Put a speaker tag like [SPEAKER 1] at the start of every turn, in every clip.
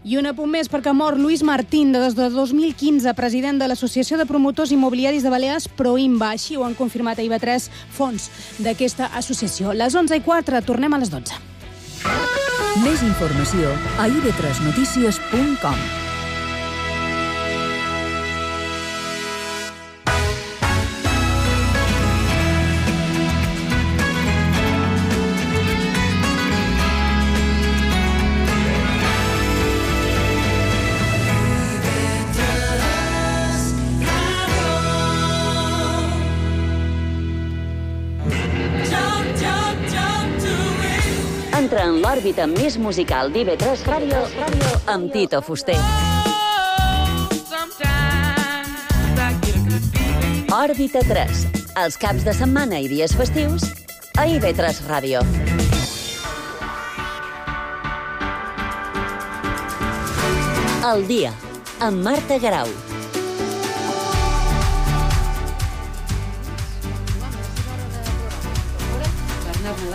[SPEAKER 1] I un apunt més perquè mor Luis Martín, des de 2015, president de l'Associació de Promotors Immobiliaris de Balears, Proimba. Així ho han confirmat a IB3 fons d'aquesta associació. Les 11:04, tornem a les 12.
[SPEAKER 2] Més informació a ib3notícies.com.
[SPEAKER 3] Entra en l'òrbita més musical d'IB3 Ràdio amb Tito Fuster. Òrbita 3, els caps de setmana i dies festius a IB3 Ràdio. El dia, amb Marta Garau.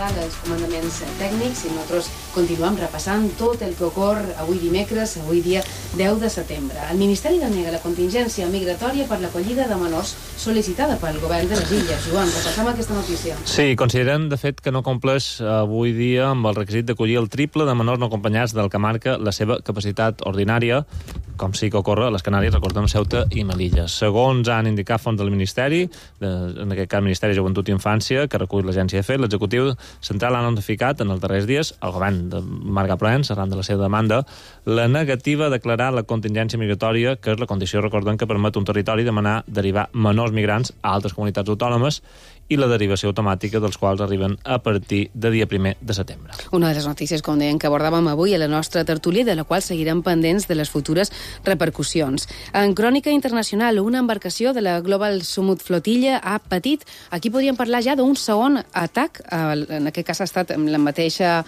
[SPEAKER 4] Els comandaments tècnics i nosaltres continuem repassant tot el que ocorre avui dimecres, avui dia 10 de setembre. El Ministeri denega la contingència migratòria per l'acollida de menors sol·licitada pel govern de les Illes. Joan, repassam aquesta notícia.
[SPEAKER 5] Sí, consideren, de fet, que no compleix avui dia amb el requisit d'acollir el triple de menors no acompanyats del que marca la seva capacitat ordinària, com sí que ocorre a les Canàries, recordem, Ceuta i Melilla. Segons han indicat fons del Ministeri, en aquest cas Ministeri de Joventut i Infància, que recull l'agència EFE, l'executiu central ha notificat en els darrers dies al govern de Marga Proens, arran de la seva demanda, la negativa a declarar la contingència migratòria, que és la condició, recordem, que permet un territori demanar derivar menors migrants a altres comunitats autònomes i la derivació automàtica dels quals arriben a partir de dia 1 de setembre.
[SPEAKER 4] Una de les notícies, com deien, que abordàvem avui a la nostra tertúlia, de la qual seguirem pendents de les futures repercussions. En crònica internacional, una embarcació de la Global Summit Flotilla ha patit, aquí podríem parlar ja d'un segon atac, en aquest cas ha estat la mateixa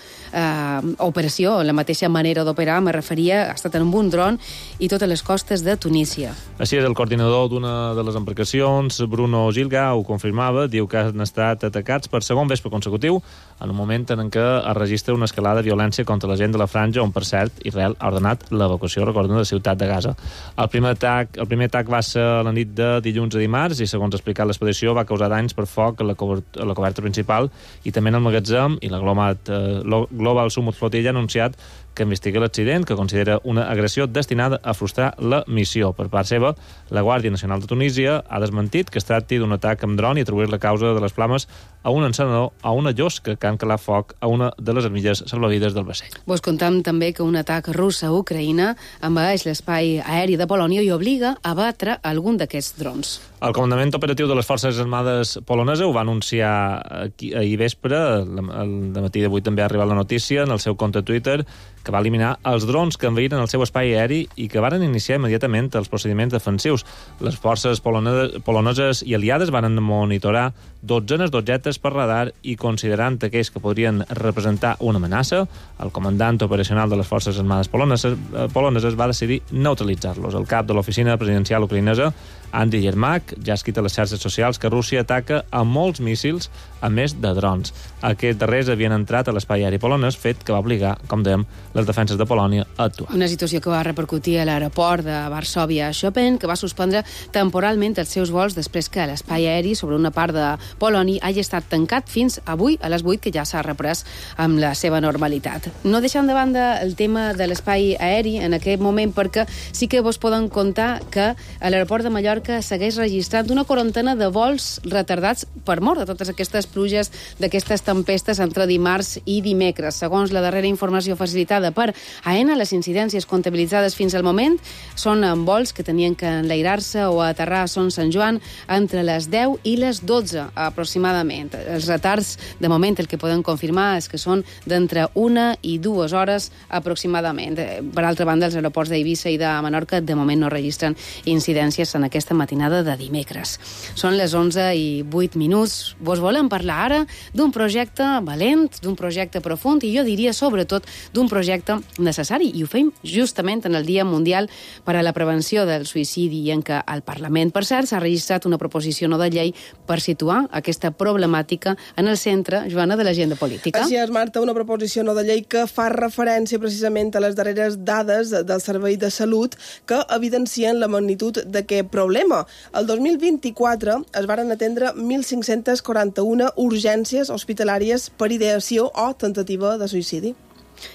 [SPEAKER 4] operació, la mateixa manera d'operar, me referia, ha estat en un dron i totes les costes de Tunísia.
[SPEAKER 5] Així és, el coordinador d'una de les embarcacions, Bruno Gilga, ho confirmava, diu que han estat atacats per segon vespre consecutiu, en un moment en què es registra una escalada de violència contra la gent de la franja, on, per cert, Israel ha ordenat l'evacuació, recordem, de la ciutat de Gaza. El primer atac va ser a la nit de dilluns a dimarts i, segons ha explicat l'expedició, va causar danys per foc a la coberta principal i també en el magatzem, i la Global Summit Flotilla ha anunciat que investiga l'accident, que considera una agressió destinada a frustrar la missió. Per part seva, la Guàrdia Nacional de Tunísia ha desmentit que es tracti d'un atac amb dron i atribuir la causa de les flames a un encenedor, a una llosca que han calat foc a una de les armilles salvavides del vaixell.
[SPEAKER 4] Vos contam també que un atac rus a Ucraïna envaeix l'espai aeri de Polònia i obliga a batre algun d'aquests drons.
[SPEAKER 5] El comandament operatiu de les Forces Armades poloneses ho va anunciar ahir vespre, al matí d'avui també ha arribat la notícia en el seu compte Twitter, que va eliminar els drons que envaïren el seu espai aeri i que varen iniciar immediatament els procediments defensius. Les forces poloneses i aliades van monitorar dotzenes d'objectes per radar i, considerant aquells que podrien representar una amenaça, el comandant operacional de les Forces Armades poloneses va decidir neutralitzar-los. El cap de l'oficina presidencial ucraïnesa, Andy Yermak, ja ha escrit a les xarxes socials que Rússia ataca a molts míssils, a més de drons. Aquests darrers havien entrat a l'espai aeri polonès, fet que va obligar, com dèiem, les defenses de Polònia a actuar.
[SPEAKER 4] Una situació que va repercutir a l'aeroport de Varsòvia-Chopin, que va suspendre temporalment els seus vols després que l'espai aeri sobre una part de Polònia hagi estat tancat fins avui a les 8, que ja s'ha reprès amb la seva normalitat. No deixant de banda el tema de l'espai aeri en aquest moment, perquè sí que vos poden contar que a l'aeroport de Mallorca segueix registrant una quarantena de vols retardats per mort de totes aquestes pluges, d'aquestes tempestes entre dimarts i dimecres. Segons la darrera informació facilitada per AENA, les incidències comptabilitzades fins al moment són en vols que tenien que enlairar-se o aterrar a Son Sant Joan entre les 10 i les 12 aproximadament. Els retards, de moment, el que podem confirmar és que són d'entre 1 i 2 hores aproximadament. Per altra banda, els aeroports d'Eivissa i de Menorca de moment no registren incidències en aquesta aquesta matinada de dimecres. Són les 11:08. Vos volem parlar ara d'un projecte valent, d'un projecte profund i jo diria sobretot d'un projecte necessari, i ho fem justament en el Dia Mundial per a la Prevenció del Suïcidi, en què al Parlament, per cert, s'ha registrat una proposició no de llei per situar aquesta problemàtica en el centre, Joana, de l'agenda política.
[SPEAKER 6] Així és, Marta, una proposició no de llei que fa referència precisament a les darreres dades del Servei de Salut que evidencien la magnitud d'aquest problema. El 2024 es varen atendre 1.541 urgències hospitalàries per ideació o tentativa de suïcidi.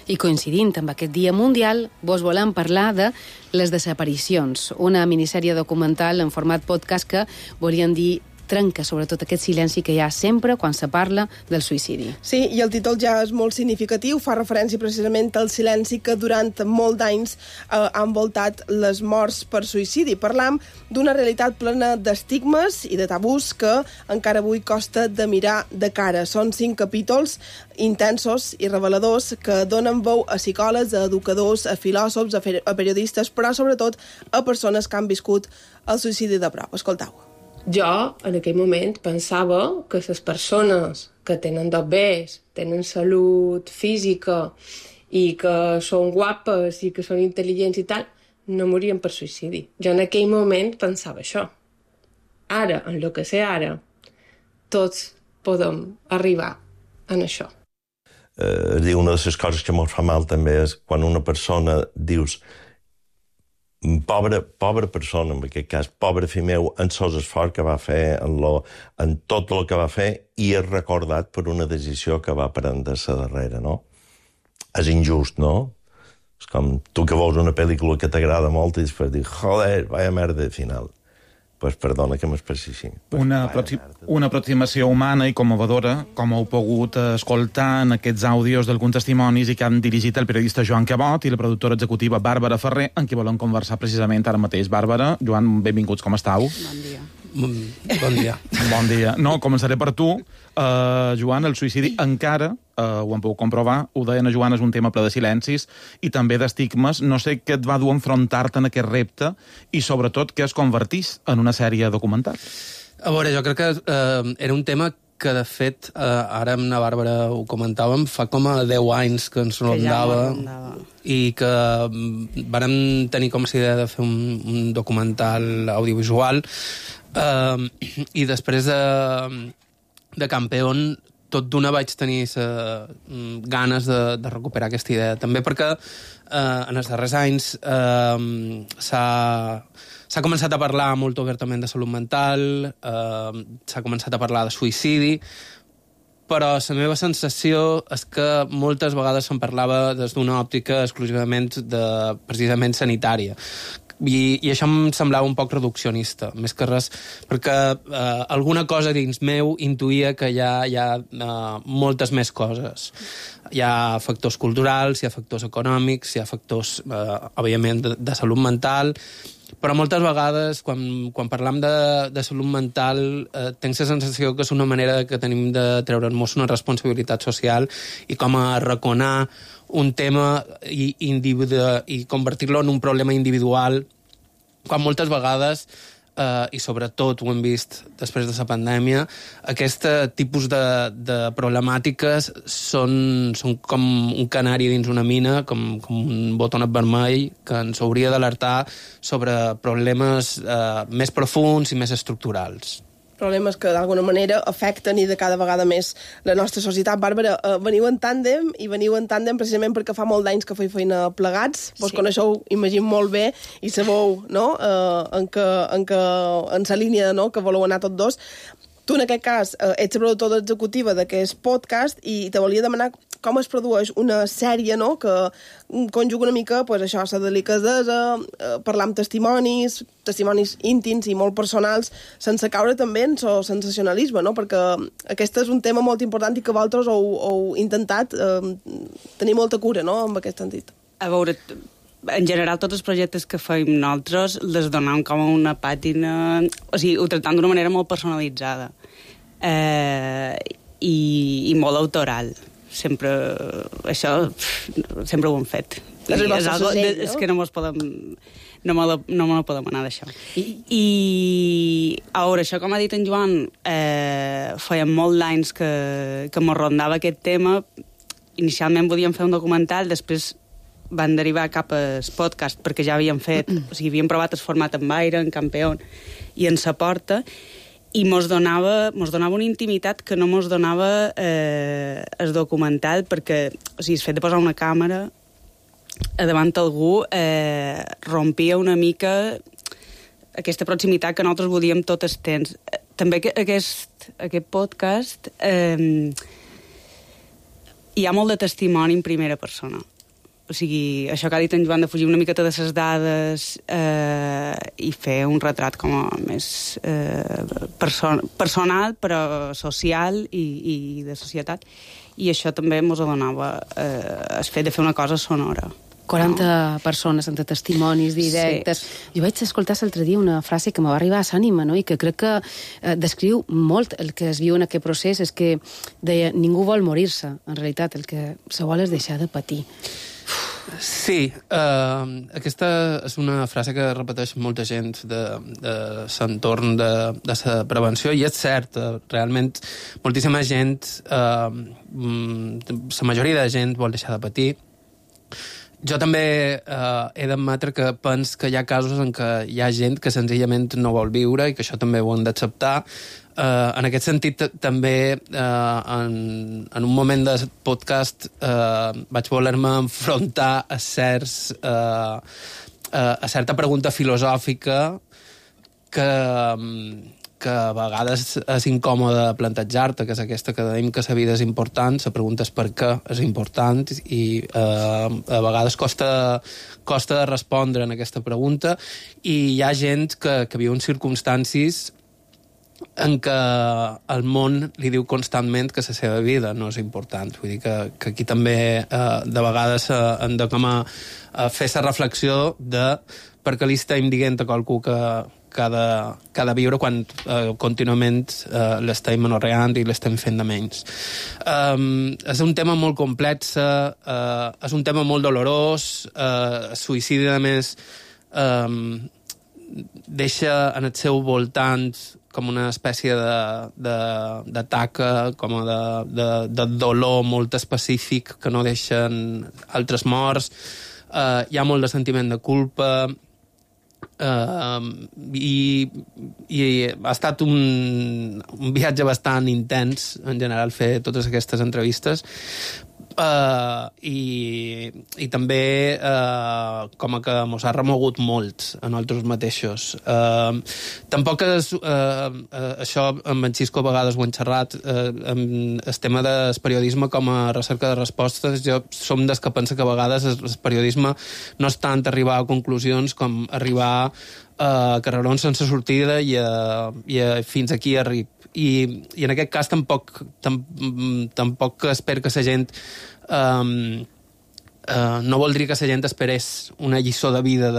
[SPEAKER 4] I coincidint amb aquest Dia Mundial, vos volem parlar de Les desaparicions, una minissèrie documental en format podcast que volien dir trenca sobretot aquest silenci que hi ha sempre quan se parla del suïcidi.
[SPEAKER 6] Sí, i el títol ja és molt significatiu, fa referència precisament al silenci que durant molt d'anys ha envoltat les morts per suïcidi. Parlam d'una realitat plena d'estigmes i de tabús que encara avui costa de mirar de cara. Són 5 capítols intensos i reveladors que donen veu a psicòlegs, a educadors, a filòsofs, a periodistes, però sobretot a persones que han viscut el suïcidi de prop. Escoltau.
[SPEAKER 7] Jo, en aquell moment, pensava que les persones que tenen dobbers, tenen salut física i que són guapes i que són intel·ligents i tal, no morien per suïcidi. Jo en aquell moment pensava això. Ara, en el que sé ara, tots podem arribar en això.
[SPEAKER 8] Una de les coses que ens fa mal també és quan una persona dius pobra persona, en aquest cas, pobre fill meu, en sos esforç que va fer, en tot el que va fer, i és recordat per una decisió que va prendre-se darrere, no? És injust, no? És com tu que veus una pel·lícula que t'agrada molt i després dius, joder, vaya merda final. Pues perdona que m'expressi així.
[SPEAKER 9] Una aproximació humana i commovedora, com heu pogut escoltar en aquests àudios d'alguns testimonis i que han dirigit el periodista Joan Cabot i la productora executiva Bàrbara Ferrer, en qui volem conversar precisament ara mateix. Bàrbara, Joan, benvinguts, com estàu?
[SPEAKER 4] Bon dia.
[SPEAKER 10] Bon dia.
[SPEAKER 9] Bon dia. No, començaré per tu. Joan, el suïcidi encara, ho hem pogut comprovar, ho deien a Joan, és un tema ple de silencis i també d'estigmes. No sé què et va dur a enfrontar-te en aquest repte i, sobretot, què es convertís en una sèrie documental.
[SPEAKER 10] A veure, jo crec que era un tema que, de fet, ara amb la Bàrbara ho comentàvem, fa com a 10 anys que ens rondava i que vàrem tenir com la idea de fer un documental audiovisual i després de Campeón tot d'una vaig tenir ganes de recuperar aquesta idea. També perquè en els darrers anys s'ha començat a parlar molt obertament de salut mental, s'ha començat a parlar de suïcidi, però la meva sensació és que moltes vegades se'n parlava des d'una òptica exclusivament precisament sanitària. I això em semblava un poc reduccionista, més que res, perquè alguna cosa dins meu intuïa que hi ha moltes més coses. Hi ha factors culturals, hi ha factors econòmics, hi ha factors, òbviament, de salut mental, però moltes vegades, quan parlam de salut mental, tenc la sensació que és una manera que tenim de treure'ns una responsabilitat social i com a arraconar un tema i convertir-lo en un problema individual, quan moltes vegades, i sobretot ho hem vist després de la pandèmia, aquest tipus de problemàtiques són com un canari dins una mina, com un botonet vermell que ens hauria d'alertar sobre problemes més profuns i més estructurals.
[SPEAKER 6] Problemes que d'alguna manera afecten i de cada vegada més la nostra societat. Bàrbara, veniu en tàndem precisament perquè fa molt d'anys que feu feina plegats. Vos coneixeu, imagino, molt bé i sabeu, no?, en la línia, no?, que voleu anar tots dos. Tu, en aquest cas, ets la productora executiva d'aquest podcast i te volia demanar com es produeix una sèrie, no?, que conjuga una mica, pues, això, la delicadesa, parlar amb testimonis íntims i molt personals, sense caure també en el sensacionalisme, no?, perquè aquest és un tema molt important i que vosaltres heu intentat tenir molta cura, no?, en aquest sentit.
[SPEAKER 11] A veure, en general, tots els projectes que fem nosaltres les donem com a una pàtina... O sigui, ho tractem d'una manera molt personalitzada i molt autoral. Això sempre ho hem fet. És que no me la podem anar d'això. I a veure, això, com ha dit en Joan, feien molt d'anys que mos rondava aquest tema. Inicialment volíem fer un documental, després van derivar cap al podcast, perquè ja havíem fet, o sigui, havíem provat el format en Baire, en Campeón i en Sa Porta, i mos donava una intimitat que no mos donava el documental, perquè, o sigui, el fet de posar una càmera davant algú rompia una mica aquesta proximitat que nosaltres volíem tot el temps. També aquest podcast hi ha molt de testimoni en primera persona. O sigui, això que ha dit en Joan, de fugir una miqueta de les dades i fer un retrat com a més personal, però social i de societat. I això també ens donava el fet de fer una cosa sonora.
[SPEAKER 4] 40 persones entre testimonis directes. Sí. Jo vaig escoltar l'altre dia una frase que me va arribar a l'ànima, no? I que crec que descriu molt el que es viu en aquest procés, és que deia, ningú vol morir-se, en realitat, el que se vol és deixar de patir.
[SPEAKER 10] Sí, aquesta és una frase que repeteix molta gent de l'entorn de la prevenció, i és cert, realment moltíssima gent, la majoria de gent vol deixar de patir. Jo també he d'admetre que penso que hi ha casos en què hi ha gent que senzillament no vol viure i que això també ho hem d'acceptar. En aquest sentit, també en un moment del podcast vaig voler-me enfrontar a certa pregunta filosòfica que a vegades és incòmode plantejar-te, que és aquesta que dèiem que la vida és important, la pregunta és per què és important, i a vegades costa respondre en aquesta pregunta, i hi ha gent que viu en circumstàncies en què el món li diu constantment que la seva vida no és important. Vull dir que aquí també de vegades hem de com a fer la reflexió de per què li estem dient a qualcú que ha de viure quan contínuament l'estem menorreant i l'estem fent de menys. És un tema molt complex, és un tema molt dolorós, el suïcidi, a més, deixa en el seu voltant com una espècie de taca, com de dolor molt específic que no deixen altres morts. Hi ha molt de sentiment de culpa, i ha estat un viatge bastant intens, en general, fer totes aquestes entrevistes, i també com que mos ha remogut molt a nosaltres mateixos. Tampoc és això, amb en Xisco a vegades ho hem xerrat, el tema del periodisme com a recerca de respostes. Jo som dels que pensa que a vegades el periodisme no és tant arribar a conclusions com arribar a carrerons sense sortida i fins aquí arrib. I en aquest cas tampoc espero que la gent no voldria que la gent esperés una lliçó de vida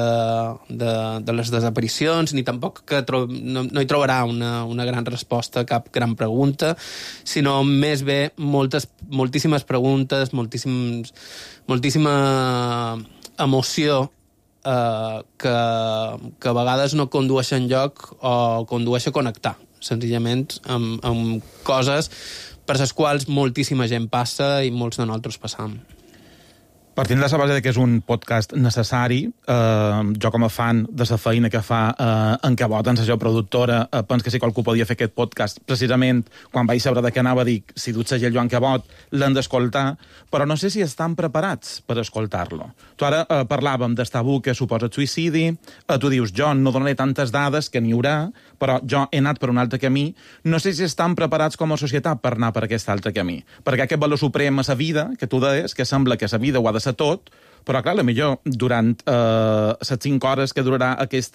[SPEAKER 10] de les desaparicions, ni tampoc que no hi trobarà una gran resposta a cap gran pregunta, sinó més bé moltíssimes preguntes, moltíssima emoció que a vegades no condueix enlloc o condueix a connectar senzillament amb coses per les quals moltíssima gent passa i molts de nosaltres passam.
[SPEAKER 9] Partint de la base que és un podcast necessari, jo com a fan de la feina que fa en Cabot, en la seva productora, penso que si qualcú podia fer aquest podcast, precisament quan vaig saber de què anava, dic, si du el segell Joan Cabot, l'han d'escoltar, però no sé si estan preparats per escoltar-lo. Tu ara parlàvem del tabú que suposa el suïcidi, tu dius, jo no donaré tantes dades que n'hi haurà, però jo he anat per un altre camí, no sé si estan preparats com a societat per anar per aquest altre camí, perquè aquest valor suprem a la vida, que tu deies, que sembla que la vida ho ha de ser tot, però clar, potser durant les 5 hores que durarà aquest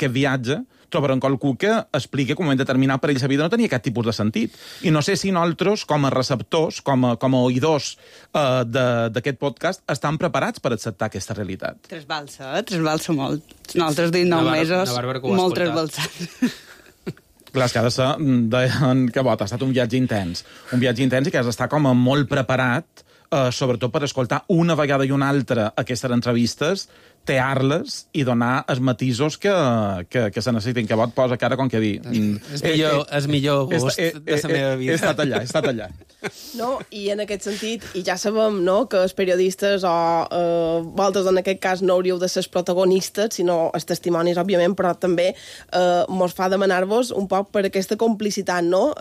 [SPEAKER 9] viatge trobaran qualcú que expliqui que en un moment determinat per ell la vida no tenia cap tipus de sentit. I no sé si nosaltres, com a receptors, com a oïdors d'aquest podcast, estan preparats per acceptar aquesta realitat.
[SPEAKER 11] Trasbalsa molt. Nosaltres 19 mesos, molt trasbalsant.
[SPEAKER 9] Clar, és que ha de ser, deien que ha estat un viatge intens i que has d'estar com a molt preparat sobretot per escoltar una vegada i una altra aquestes entrevistes, tear-les i donar els matisos que se necessitin, que vot posa cara com que dir...
[SPEAKER 10] És millor gust de la meva vida.
[SPEAKER 9] He estat allà.
[SPEAKER 6] No, i en aquest sentit, i ja sabem, no?, que els periodistes o vosaltres en aquest cas no hauríeu de ser els protagonistes, sinó els testimonis, òbviament, però també mos fa demanar-vos un poc per aquesta complicitat, no?,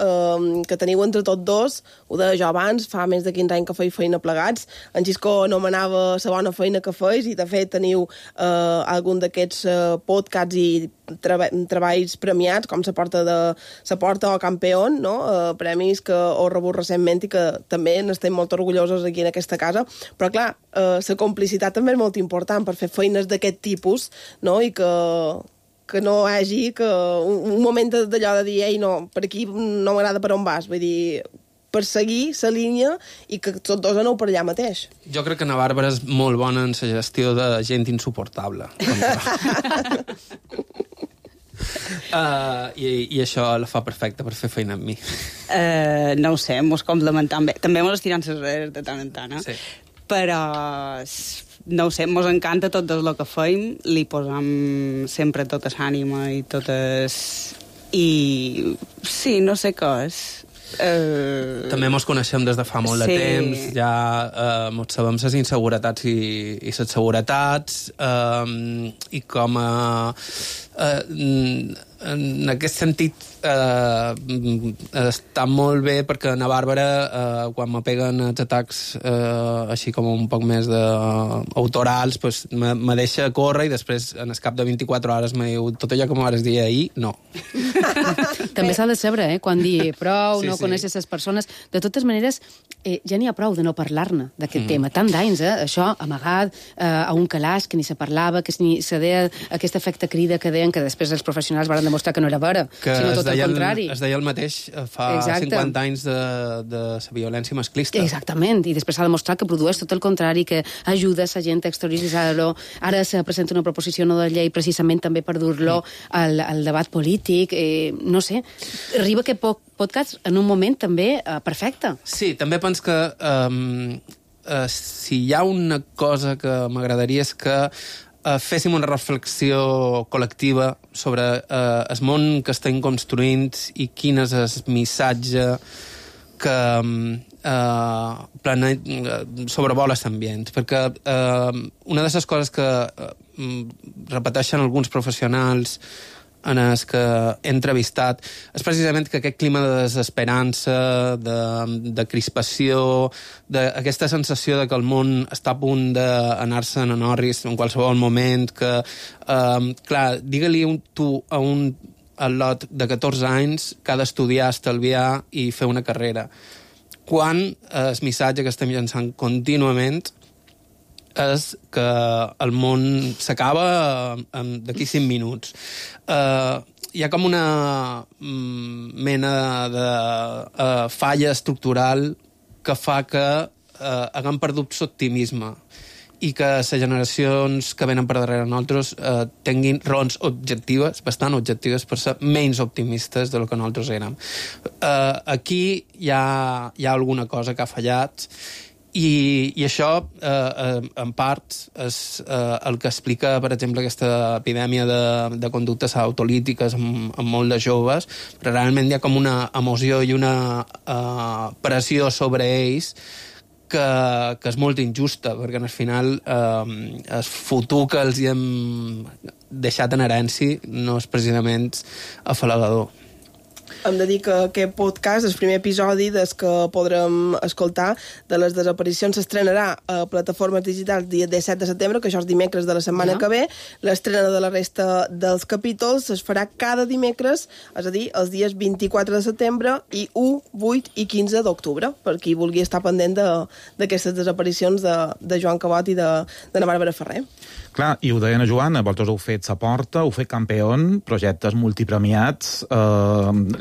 [SPEAKER 6] que teniu entre tots dos. Ho deia jo abans, fa més de 15 anys que feia feina plegats. En Xisco anomenava la bona feina que feis, i de fet teniu algun d'aquests podcasts i treballs premiats, com la porta o Campeón, no? Premis que heu rebut recentment i que també n'estem molt orgullosos aquí en aquesta casa. Però, clar, la complicitat també és molt important per fer feines d'aquest tipus, no? I que no hi hagi un moment d'allò de dir ei, no, per aquí no m'agrada per on vas. Vull dir, per seguir la línia i que tots dos aneu per allà mateix.
[SPEAKER 10] Jo crec que na Bàrbara és molt bona en la gestió de gent insuportable. I això la fa perfecta per fer feina amb mi.
[SPEAKER 11] No ho sé, mos complementam bé. També mos estirant les redes de tant en tant,
[SPEAKER 10] Sí.
[SPEAKER 11] Però no ho sé, mos encanta tot el que feim, li posam sempre tota l'ànima i totes... I sí, no sé què és.
[SPEAKER 10] També mos coneixem des de fa molt de temps, ja mos sabem les inseguretats i les seguretats, i com en aquest sentit està molt bé perquè na Bàrbara quan me peguen els atacs així com un poc més autorals pues, me deixa córrer i després en el cap de 24 hores me diu tot allò que me vas dir ahir, no.
[SPEAKER 4] També s'ha de saber, quan dir prou,
[SPEAKER 10] Sí,
[SPEAKER 4] no
[SPEAKER 10] sí.
[SPEAKER 4] coneixes les persones. De totes maneres, ja n'hi ha prou de no parlar-ne d'aquest tema. Tant d'anys, això, amagat a un calaix, que ni se parlava, que ni se deia aquest efecte crida que deien, que després els professionals van demostrar que no era vera, sinó tot el contrari.
[SPEAKER 10] Es deia el mateix fa 50 anys de la violència masclista.
[SPEAKER 4] Exactament, i després s'ha demostrat que produeix tot el contrari, que ajuda la gent a exterioritzar-lo. Ara se presenta una proposició no de llei precisament també per dur-lo al debat polític. No sé, arriba aquest podcast en un moment també perfecte.
[SPEAKER 10] Sí, també penso que si hi ha una cosa que m'agradaria és que féssim una reflexió col·lectiva sobre el món que estem construint i quin és el missatge que sobrevola l'ambient. Perquè una de les coses que repeteixen alguns professionals en els que he entrevistat és precisament que aquest clima de desesperança, de crispació, d'aquesta sensació de que el món està a punt d'anar-se en orris en qualsevol moment, que, clar, digue-li tu a un al·lot de 14 anys que ha d'estudiar, estalviar i fer una carrera. Quan el missatge que estem llançant contínuament és que el món s'acaba d'aquí 5 minuts. Hi ha com una mena de falla estructural que fa que haguem perdut l'optimisme i que les generacions que venen per darrere nosaltres tinguin raons objectives, bastant objectives, per ser menys optimistes del que nosaltres érem. Aquí hi ha alguna cosa que ha fallat i això, en part, és el que explica, per exemple, aquesta epidèmia de conductes autolítiques amb molt de joves, però realment hi ha com una emoció i una pressió sobre ells que és molt injusta, perquè al final el futur que els hem deixat en herència no és precisament afalagador.
[SPEAKER 6] Hem de dir que aquest podcast, el primer episodi des que podrem escoltar de les desaparicions, s'estrenarà a plataformes digitals dia 17 de setembre, que això és dimecres de la setmana que ve. L'estrena de la resta dels capítols es farà cada dimecres, és a dir, els dies 24 de setembre i 1, 8 i 15 d'octubre, per qui vulgui estar pendent d'aquestes desaparicions de Joan Cabot i de na Bàrbara Ferrer.
[SPEAKER 9] Clar, i ho deia na Joana, vosaltres heu fet Sa Porta, heu fet Campeón, projectes multipremiats,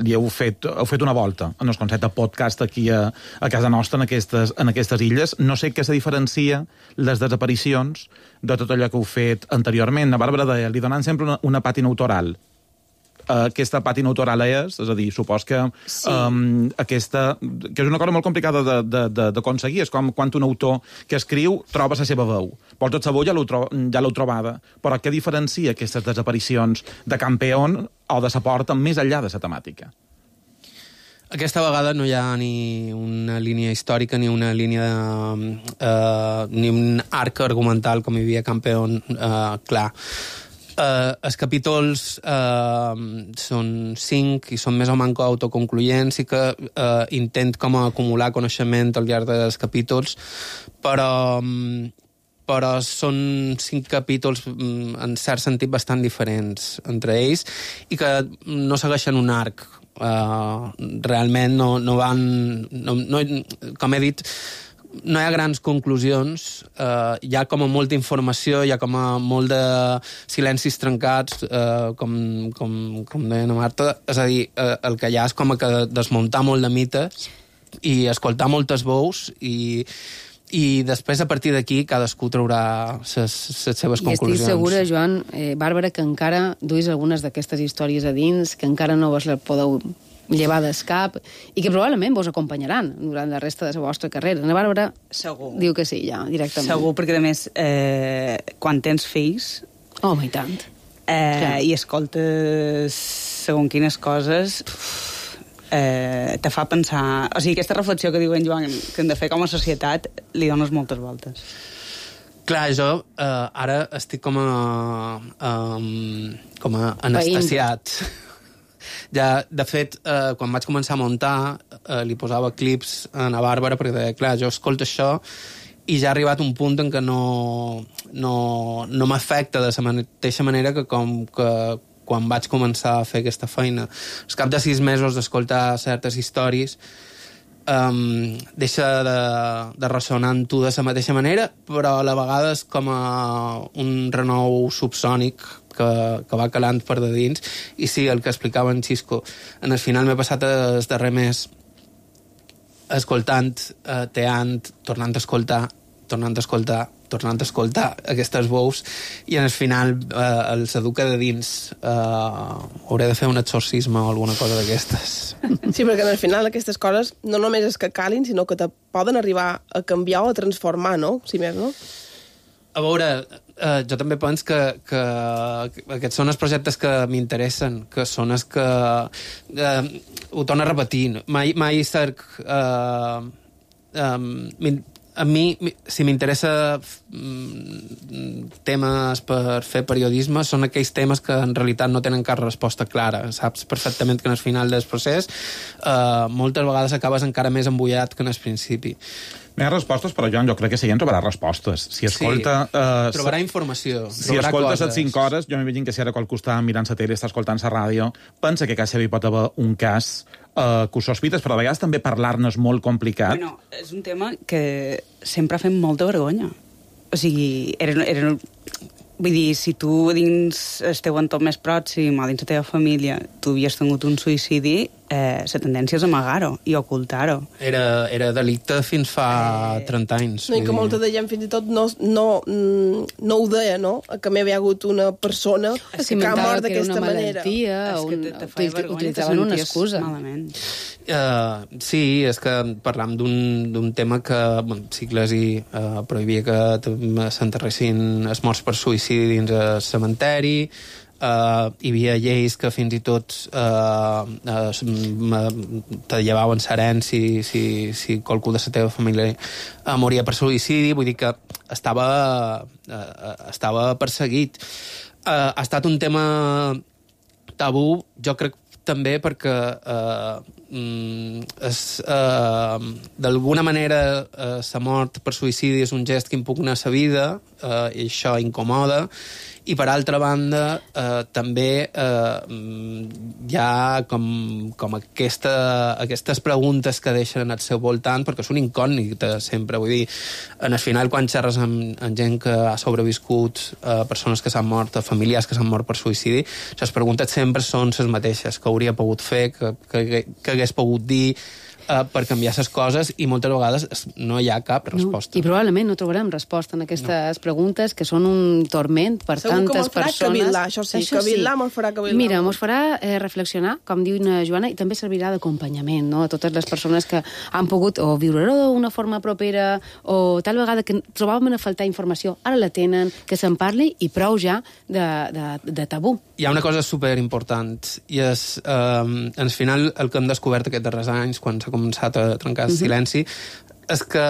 [SPEAKER 9] i heu fet una volta en el concepte podcast aquí a casa nostra, en aquestes illes. No sé què se diferencia les desaparicions de tot allò que heu fet anteriorment. La Bàrbara deia, li donen sempre una pàtina autoral. aquesta pàtina autoral és a dir, supos que aquesta... que és una cosa molt complicada d'aconseguir, és com quan un autor que escriu troba la seva veu. Vols el sabó ja l'heu trobada, però què diferencia aquestes desaparicions de Campeón o de la porta més enllà de la temàtica?
[SPEAKER 10] Aquesta vegada no hi ha ni una línia històrica ni una línia ni un arc argumental com hi havia a Campeón clar. Els capítols són 5 i són més o manco autoconcluents i que intent com a acumular coneixement al llarg dels capítols, però són 5 capítols en cert sentit bastant diferents entre ells i que no segueixen un arc. Realment no van... com he dit, no hi ha grans conclusions, hi ha com a molta informació, hi ha com a molt de silencis trencats, com deia la Marta, és a dir, el que hi ha és com que desmuntar molt de mites i escoltar moltes veus i després, a partir d'aquí, cadascú traurà les seves conclusions.
[SPEAKER 4] I estic segura, Joan, Bàrbara, que encara duis algunes d'aquestes històries a dins, que encara no vos les podeu llevar del cap i que probablement vos acompanyaran durant la resta de la vostra carrera. La Bàrbara diu que sí, ja, directament.
[SPEAKER 11] Segur, perquè, a més, quan tens fills...
[SPEAKER 4] Home, i tant.
[SPEAKER 11] I escoltes segons quines coses... te fa pensar... O sigui, aquesta reflexió que diu en Joan que hem de fer com a societat li dones moltes voltes.
[SPEAKER 10] Clar, jo ara estic com a anestesiat. Ja, de fet, quan vaig començar a muntar, li posava clips a la Bàrbara perquè deia, clar, jo escolto això i ja ha arribat un punt en què no m'afecta de la mateixa manera que quan vaig començar a fer aquesta feina. Al cap de 6 mesos d'escoltar certes històries deixa de ressonar amb tu de la mateixa manera, però a la vegada és com un renou subsònic que va calant per de dins. I sí, el que explicava en Xisco, en el final m'he passat el darrer mes escoltant, teant, tornant a escoltar aquestes veus i en el final els educa de dins. Hauré de fer un exorcisme o alguna cosa d'aquestes.
[SPEAKER 6] Sí, perquè en el final aquestes coses no només és que calin, sinó que te poden arribar a canviar o a transformar, no? Si més, no?
[SPEAKER 10] A veure, jo també penso que aquests són els projectes que m'interessen, que són els que... ho torno a repetir, mai cerc... a mi, si m'interessa temes per fer periodisme, són aquells temes que en realitat no tenen cap resposta clara. Saps perfectament que en el final del procés moltes vegades acabes encara més embullat que en el principi.
[SPEAKER 9] No hi ha respostes, però Joan, jo crec que si en trobarà respostes. Si escolta...
[SPEAKER 10] trobarà informació.
[SPEAKER 9] Si escoltes les 5 hores, jo m'imagino que si ara qual costat mirant la tele, està escoltant la ràdio, pensa que a casa hi pot haver un cas que us sospites, però a vegades també parlar-ne és molt complicat.
[SPEAKER 11] Bueno, és un tema que sempre ha fet molta vergonya. O sigui, vull dir, si tu dins el teu entorn més pròxim o dins la teva família tu havies tingut un suïcidi, la tendència és amagar-ho i ocultar-ho.
[SPEAKER 10] Era delicte fins fa 30 anys.
[SPEAKER 6] No, i que molta de gent fins i tot no ho deia, no? Que m'hi havia hagut una persona que ha mort d'aquesta manera.
[SPEAKER 4] Utilitzaven una excusa.
[SPEAKER 10] Sí, és que parlam d'un tema que l'Iglesi prohibia que s'enterressin els morts per suïcidi dins el cementeri. Hi havia lleis que fins i tot te llevaven serent si qualcú de la teva família moria per suïcidi, vull dir que estava perseguit. Ha estat un tema tabú, jo crec també perquè d'alguna manera la mort per suïcidi és un gest que impugna la vida i això incomoda. I per altra banda també hi ha com aquestes preguntes que deixen al seu voltant, perquè és una incògnita sempre, vull dir, en el final quan xerres amb gent que ha sobreviscut, persones que s'han mort, familiars que s'han mort per suïcidi, les preguntes sempre són les mateixes: què hauria pogut fer, què hagués pogut dir, per canviar les coses i moltes vegades no hi ha cap resposta.
[SPEAKER 4] I probablement no trobarem resposta en aquestes preguntes, que són un torment per tantes persones.
[SPEAKER 6] Segur que mos farà cavilar, això sí. Cavilar mos farà cavilar.
[SPEAKER 4] Mira, mos farà reflexionar, com diu una Joana, i també servirà d'acompanyament, no?, a totes les persones que han pogut o viure-ho d'una forma propera o tal vegada que trobaven a faltar informació, ara la tenen, que se'n parli i prou ja de tabú.
[SPEAKER 10] Hi ha una cosa superimportant i és, al final, el que hem descobert aquests darrers anys, quan s'ha començat a trencar el silenci, és que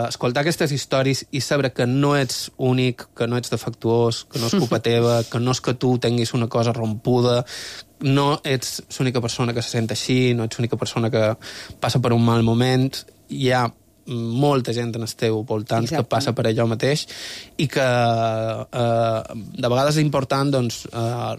[SPEAKER 10] escoltar aquestes històries i saber que no ets únic, que no ets defectuós, que no és culpa teva, que no és que tu tinguis una cosa rompuda, no ets l'única persona que se sent així, no ets l'única persona que passa per un mal moment, hi ha molta gent en el teu voltant que passa per allò mateix i que de vegades és important doncs,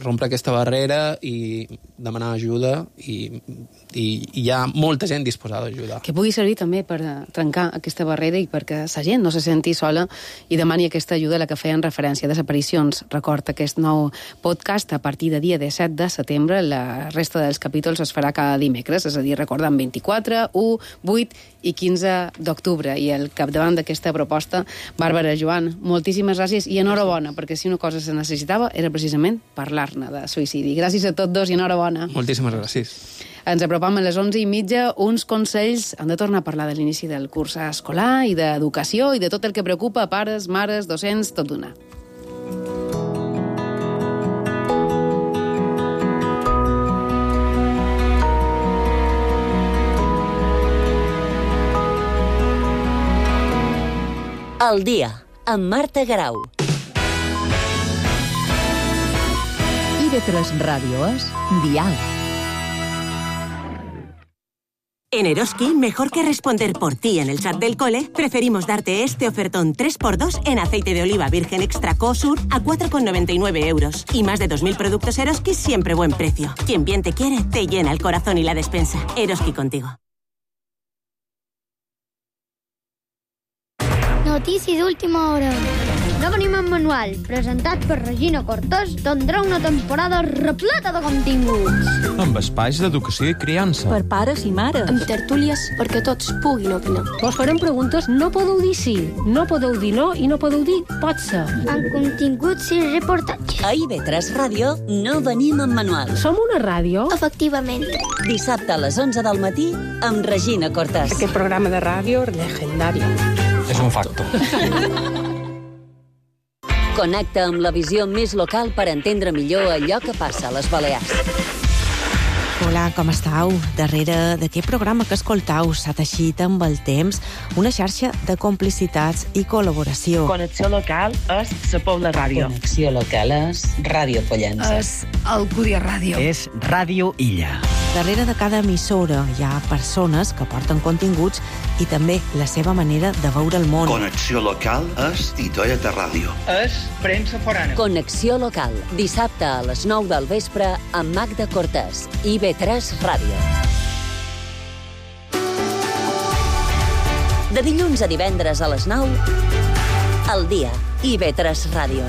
[SPEAKER 10] rompre aquesta barrera i demanar ajuda i hi ha molta gent disposada a ajudar.
[SPEAKER 4] Que pugui servir també per trencar aquesta barrera i perquè la gent no se senti sola i demani aquesta ajuda a la que feien referència. Desaparicions, record aquest nou podcast a partir de dia 17 de setembre. La resta dels capítols es farà cada dimecres, és a dir, recordant 24, 1, 8 i 15 d'octubre. I al capdavant d'aquesta proposta, Bàrbara, Joan, moltíssimes gràcies i enhorabona, perquè si una cosa se necessitava era precisament parlar-ne de suïcidi. Gràcies a tots dos i enhorabona.
[SPEAKER 10] Moltíssimes gràcies.
[SPEAKER 4] Ens apropam a les 11:30, uns consells. Han de tornar a parlar de l'inici del curs escolar i d'educació i de tot el que preocupa a pares, mares, docents, tot d'una.
[SPEAKER 3] El dia, amb Marta Garau.
[SPEAKER 2] IB3 Ràdio és Dial.
[SPEAKER 12] En Eroski, mejor que responder por ti en el chat del cole, preferimos darte este ofertón 3x2 en aceite de oliva virgen extra Cosur a 4,99 euros. Y más de 2.000 productos Eroski siempre buen precio. Quien bien te quiere, te llena el corazón y la despensa. Eroski contigo.
[SPEAKER 13] Notícia d'última hora. No venim en manual, presentat per Regina Cortés, tindrà una temporada repleta de continguts.
[SPEAKER 14] Amb espais d'educació i criança.
[SPEAKER 15] Per pares i mares.
[SPEAKER 16] Amb tertúlies perquè tots puguin opinar.
[SPEAKER 15] Vos farem preguntes, no podeu dir sí, no podeu dir no i no podeu dir pot ser.
[SPEAKER 13] Amb continguts i reportatges.
[SPEAKER 3] A IB3 Ràdio no venim en manual.
[SPEAKER 15] Som una ràdio?
[SPEAKER 13] Efectivament.
[SPEAKER 3] Dissabte a les 11 del matí amb Regina Cortés.
[SPEAKER 15] Aquest programa de ràdio legendari.
[SPEAKER 14] És un facto.
[SPEAKER 3] Connecta amb la visió més local per entendre millor allò que passa a les Balears.
[SPEAKER 17] Hola, com estàu? Darrere d'aquest programa que escoltau s'ha teixit amb el temps una xarxa de complicitats i col·laboració.
[SPEAKER 18] Connexió local és la Pobla Ràdio.
[SPEAKER 19] Connexió local és Ràdio Pollença.
[SPEAKER 2] És Alcúdia Ràdio.
[SPEAKER 20] És Ràdio Illa.
[SPEAKER 17] Darrere de cada emissora hi ha persones que porten continguts i també la seva manera de veure el món.
[SPEAKER 21] Connexió local és Titoia de Ràdio.
[SPEAKER 18] És premsa forana.
[SPEAKER 3] Connexió local, dissabte a les 9 del vespre amb Magda Cortés, IB3 Ràdio. De dilluns a divendres a les 9, al dia, IB3 Ràdio.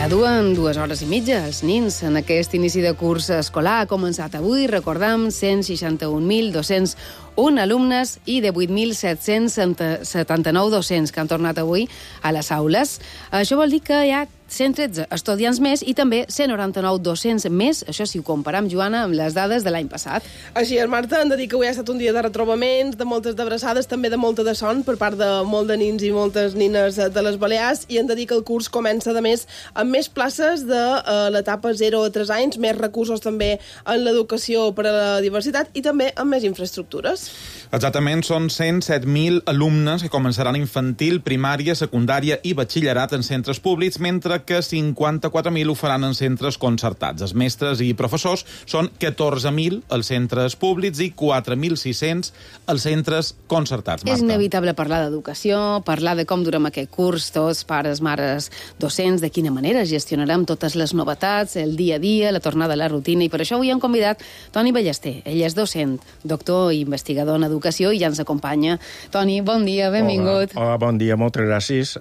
[SPEAKER 4] Duen 2 hores i mitja els nins en aquest inici de curs escolar. Ha començat avui, recordam, 161.201 alumnes i de 8.779 docents que han tornat avui a les aules. Això vol dir que hi ha 113 estudiants més i també 199 docents més, això si ho comparam, Joana, amb les dades de l'any passat.
[SPEAKER 6] Així és, Marta, hem de dir que avui ha estat un dia de retrobaments, de moltes d'abraçades, també de molta de son per part de molt de nins i moltes nines de les Balears, i hem de dir que el curs comença, a més, amb més places de l'etapa 0 a 3 anys, més recursos també en l'educació per a la diversitat i també amb més infraestructures.
[SPEAKER 9] Exactament, són 107.000 alumnes que començaran infantil, primària, secundària i batxillerat en centres públics, mentre que 54.000 ho faran en centres concertats. Els mestres i professors són 14.000 als centres públics i 4.600 als centres concertats. Marta.
[SPEAKER 4] És inevitable parlar d'educació, parlar de com durem aquest curs, tots, pares, mares, docents, de quina manera gestionarem totes les novetats, el dia a dia, la tornada a la rutina, i per això avui hem convidat Toni Ballester. Ell és docent, doctor i investigador en educació i ja ens acompanya. Toni, bon dia, benvingut.
[SPEAKER 20] Hola, bon dia, moltes gràcies.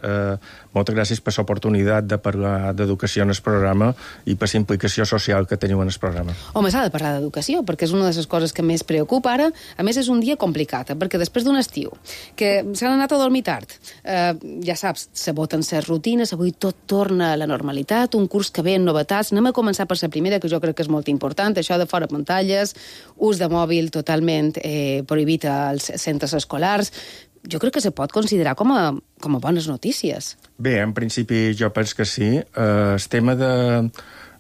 [SPEAKER 20] Moltes gràcies per l'oportunitat de parlar d'educació en el programa i per la implicació social que teniu en el programa.
[SPEAKER 4] Home, s'ha de parlar d'educació, perquè és una de les coses que més preocupa ara. A més, és un dia complicat, perquè després d'un estiu que s'han anat a dormir tard, ja saps, se voten les rutines, avui tot torna a la normalitat, un curs que ve en novetats. Anem a començar per la primera, que jo crec que és molt important, això de fora pantalles, ús de mòbil totalment prohibit als centres escolars. Jo crec que se pot considerar com a bones notícies.
[SPEAKER 20] Bé, en principi jo penso que sí. El tema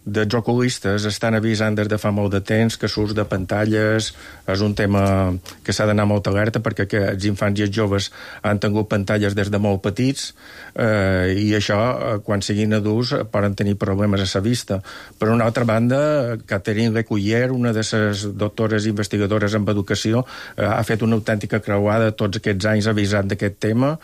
[SPEAKER 20] dels oculistes estan avisant des de fa molt de temps que l'ús de pantalles és un tema que s'ha d'anar molt alerta, perquè els infants i els joves han tingut pantalles des de molt petits i això, quan siguin adults, poden tenir problemes a la vista. Per una altra banda, Catherine Lecuyer, una de les doctores investigadores en educació, ha fet una autèntica creuada tots aquests anys avisant d'aquest tema.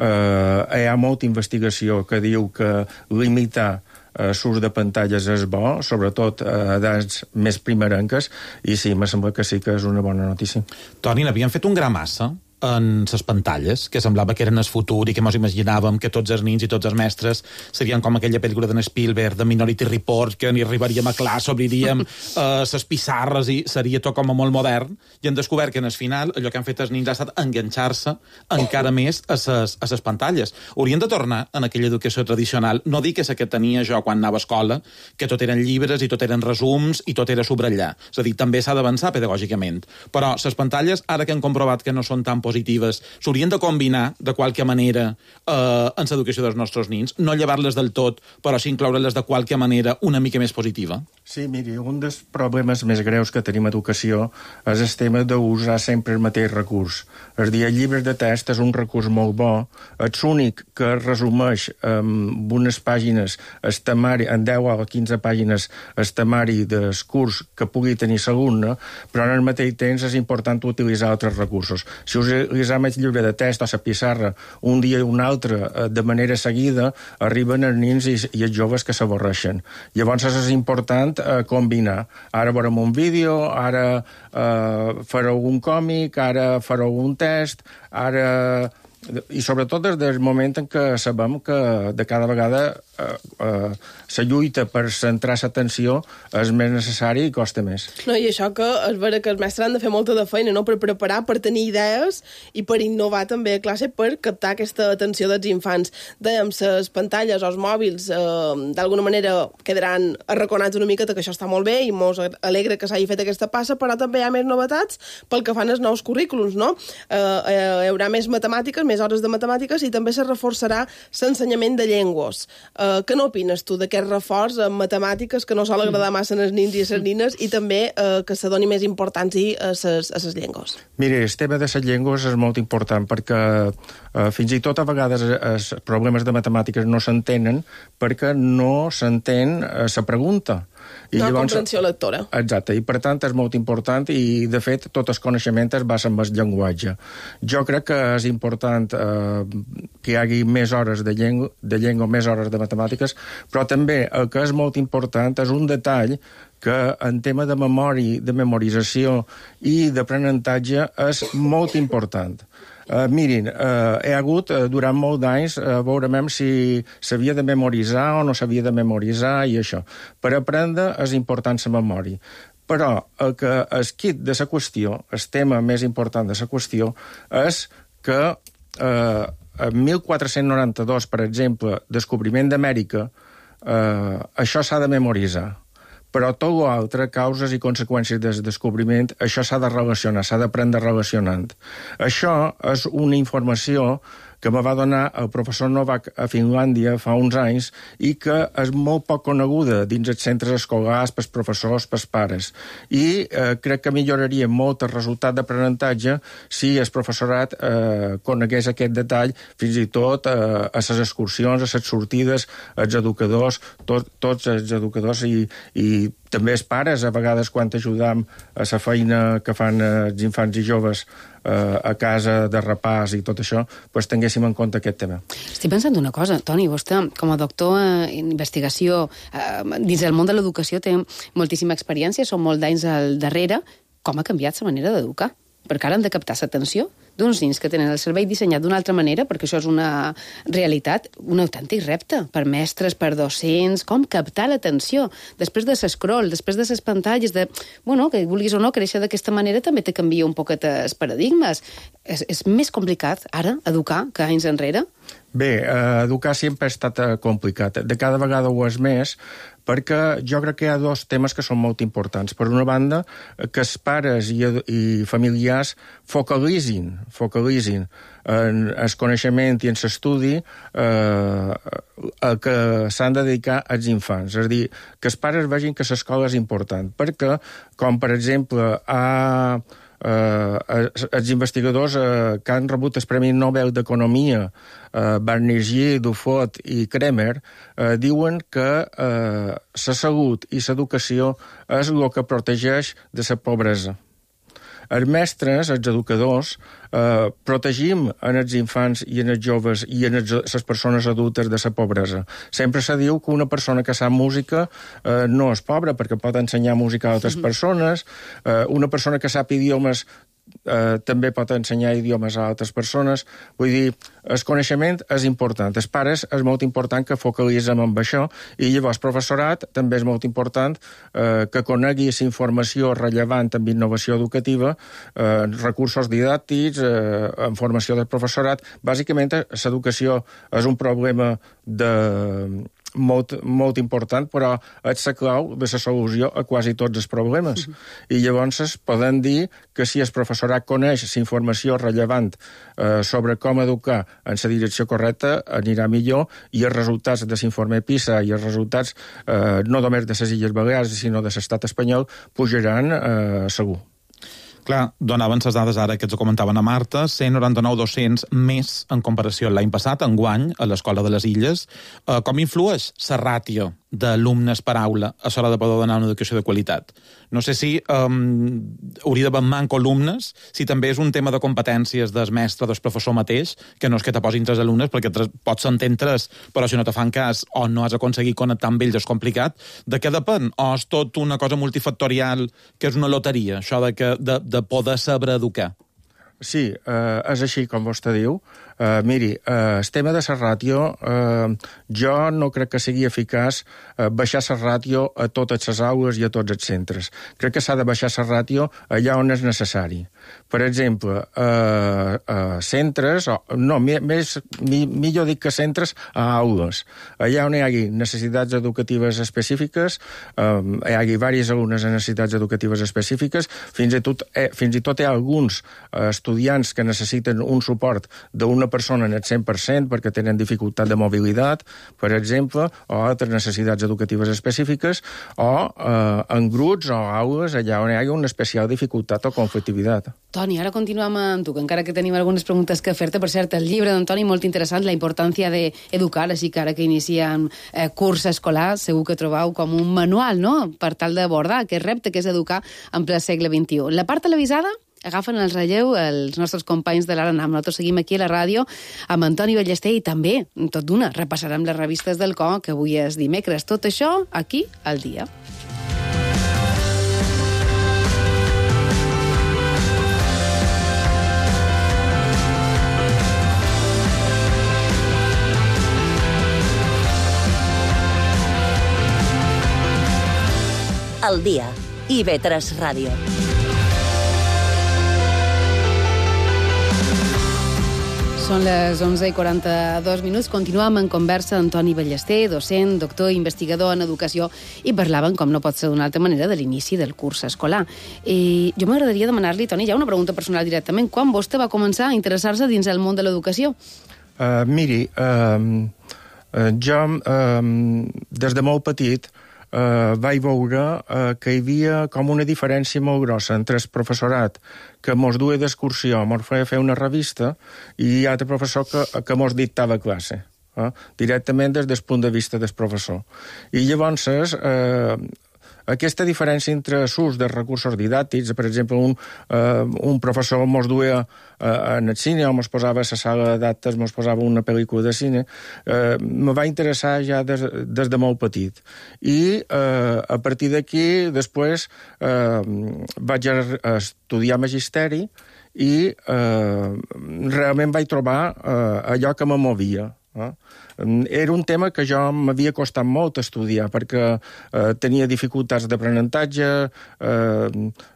[SPEAKER 20] Hi ha molta investigació que diu que limitar l'ús de pantalles és bo, sobretot a edats més primerenques, i sí, me sembla que sí que és una bona notícia.
[SPEAKER 9] Toni, n'havien fet un gra massa en les pantalles, que semblava que eren el futur i que mos imaginàvem que tots els nins i tots els mestres serien com aquella pel·lícula d'en Spielberg, de Minority Report, que ni arribaríem a classe, obriríem les pissarres i seria tot com a molt modern, i hem descobert que en el final allò que han fet els nins ha estat enganxar-se encara més a les pantalles. Haurien de tornar en aquella educació tradicional, no dic que la que tenia jo quan anava a escola, que tot eren llibres i tot eren resums i tot era subratllar. És a dir, també s'ha d'avançar pedagògicament. Però les pantalles, ara que hem comprovat que no són tan positives, s'haurien de combinar de qualque manera en l'educació dels nostres nins, no llevar-les del tot, però sí incloure-les de qualque manera una mica més positiva.
[SPEAKER 20] Sí, miri, un dels problemes més greus que tenim a educació és el tema d'usar sempre el mateix recurs. És a dir, el llibre de text és un recurs molt bo, és l'únic que resumeix en unes pàgines el temari, en 10 o 15 pàgines el temari del curs que pugui tenir l'alumne, però en el mateix temps és important utilitzar altres recursos. Si utilitzem el llibre de text o la pissarra un dia i un altre de manera seguida, arriben els nins i els joves que s'avorreixen. Llavors és important combinar. Ara veurem un vídeo, ara fareu un còmic, ara fareu un test, ara... I sobretot des del moment en què sabem que de cada vegada la lluita per centrar l'atenció és més necessari i costa més.
[SPEAKER 6] No, i això que és vera que els mestres han de fer molta de feina, no?, per preparar, per tenir idees i per innovar també a classe per captar aquesta atenció dels infants. Dèiem, les pantalles o els mòbils d'alguna manera quedaran arraconats una mica, que això està molt bé i mos alegra que s'hagi fet aquesta passa, però també hi ha més novetats pel que fan els nous currículums, no? Hi haurà més matemàtiques, més hores de matemàtiques, i també se reforçarà l'ensenyament de llengües. Què n'opines tu d'aquest reforç en matemàtiques que no sol agradar massa als nins i a les nines, i també que se doni més importància a les llengües?
[SPEAKER 20] Mira, el tema de les llengües és molt important perquè fins i tot a vegades els problemes de matemàtiques no s'entenen perquè no s'entén la pregunta.
[SPEAKER 6] No, comprensió lectora.
[SPEAKER 20] Exacte, i per tant és molt important i de fet tot el coneixement es basa en el llenguatge. Jo crec que és important que hi hagi més hores de llengua, més hores de matemàtiques, però també el que és molt important és un detall que en tema de memòria, de memorització i d'aprenentatge és molt important. Mirin, he hagut durant molt d'anys veurem si s'havia de memoritzar o no s'havia de memoritzar i això. Per aprendre és important la memòria. Però el que és quid de la qüestió, el tema més important de la qüestió, és que en 1492, per exemple, descobriment d'Amèrica, això s'ha de memoritzar. Però tot l'altre, causes i conseqüències del descobriment, això s'ha de relacionar, s'ha d'aprendre relacionant. Això és una informació que me va donar el professor Novak a Finlàndia fa uns anys i que és molt poc coneguda dins els centres escolars, pels professors, pels pares. I crec que milloraria molt el resultat d'aprenentatge si el professorat conegués aquest detall, fins i tot a les excursions, a les sortides, els educadors, tots els educadors i també els pares, a vegades, quan ajudam a la feina que fan els infants i joves a casa de repàs i tot això, doncs tinguéssim en compte aquest tema.
[SPEAKER 4] Estic pensant una cosa, Toni, vostè, com a doctor en investigació dins del món de l'educació, té moltíssima experiència, són molts d'anys al darrere. Com ha canviat la manera d'educar? Perquè ara han de captar l'atenció d'uns nens que tenen el cervell dissenyat d'una altra manera, perquè això és una realitat, un autèntic repte per mestres, per docents, com captar l'atenció després de l'escroll, després de les pantalles, que vulguis o no créixer d'aquesta manera també te canvia un poquet els paradigmes. És més complicat ara educar que anys enrere?
[SPEAKER 20] Bé, educar sempre ha estat complicat. De cada vegada ho és més, perquè jo crec que hi ha dos temes que són molt importants. Per una banda, que els pares i familiars focalitzin en el coneixement i en l'estudi que s'han de dedicar als infants. És a dir, que els pares vegin que l'escola és important, perquè, com per exemple, els investigadors que han rebut el Premi Nobel d'Economia, Banerjee, Dufault i Kremer, diuen que la salut i l'educació és el que protegeix de la pobresa. Els mestres, els educadors, protegim en els infants i en els joves i en les persones adultes de la pobresa. Sempre se diu que una persona que sap música no és pobra perquè pot ensenyar música a altres persones, una persona que sap idiomes també pot ensenyar idiomes a altres persones. Vull dir, el coneixement és important. Els pares és molt important que focalitzem en això i llavors el professorat també és molt important que conegui la informació rellevant en innovació educativa, recursos didàctics, en formació del professorat. Bàsicament, l'educació és un problema molt important, però és la clau de la solució a quasi tots els problemes. I llavors podem dir que si el professorat coneix la informació rellevant sobre com educar en la direcció correcta, anirà millor, i els resultats de l'informe PISA i els resultats no només de les Illes Balears, sinó de l'estat espanyol, pujaran segur.
[SPEAKER 9] Clar, donaven les dades ara que ens ho comentaven a Marta, 199 docents més en comparació amb l'any passat, enguany, a l'Escola de les Illes. Com influeix la ràtio d'alumnes per aula a l'hora de poder donar una educació de qualitat? No sé si hauria d'haver manco alumnes, si també és un tema de competències del mestre, del professor mateix, que no és que te posin 3 alumnes, perquè pots entendre 3, però si no te fan cas o no has aconseguit connectar amb ells és complicat. De què depèn? O és tot una cosa multifactorial, que és una loteria, això de poder saber educar?
[SPEAKER 20] Sí, és així com vostè diu. Miri, el tema de la ràtio, jo no crec que sigui eficaç baixar la ràtio a totes les aules i a tots els centres. Crec que s'ha de baixar la ràtio allà on és necessari. Per exemple, centres, millor dic que centres, a aules. Allà on hi hagi necessitats educatives específiques, hi hagi diversos alumnes amb necessitats educatives específiques, fins i tot hi ha alguns estudiants que necessiten un suport d'una persona en el 100% perquè tenen dificultat de mobilitat, per exemple, o altres necessitats educatives específiques, o en grups o aules allà on hi hagi una especial dificultat o conflictivitat.
[SPEAKER 4] Toni, ara continuem amb tu, que encara que tenim algunes preguntes que fer-te. Per cert, el llibre d'Antoni molt interessant, La importància d'educar, així que ara que iniciem curs escolar, segur que trobeu com un manual, no?, per tal d'abordar aquest repte que és educar en ple segle XXI. La part televisada agafen el relleu els nostres companys de l'Ara NAM. Nosaltres seguim aquí a la ràdio amb Antoni Ballester i també, tot d'una, repassarem les revistes del COR, que avui és dimecres. Tot això aquí al dia.
[SPEAKER 3] Al dia. IB3 Ràdio.
[SPEAKER 4] Són les 11:42. Continuem en conversa amb Antoni Ballester, docent, doctor i investigador en educació, i parlaven, com no pot ser d'una altra manera, de l'inici del curs escolar. Jo m'agradaria demanar-li, Toni, ja una pregunta personal directament. Quan vostè va començar a interessar-se dins el món de l'educació?
[SPEAKER 20] Miri, jo, des de molt petit, vaig veure que hi havia com una diferència molt grossa entre el professorat que mos duia d'excursió, mos feia fer una revista, i altre professor que mos dictava classe, directament des del punt de vista del professor. I llavors, aquesta diferència entre l'ús dels recursos didàctics, per exemple, un professor mos duia en el cine o mos posava a la sala d'actes, mos posava una pel·lícula de cine, me va interessar ja des de molt petit. I a partir d'aquí, després, vaig estudiar magisteri i realment vaig trobar allò que me movia. Era un tema que jo m'havia costat molt estudiar perquè tenia dificultats d'aprenentatge,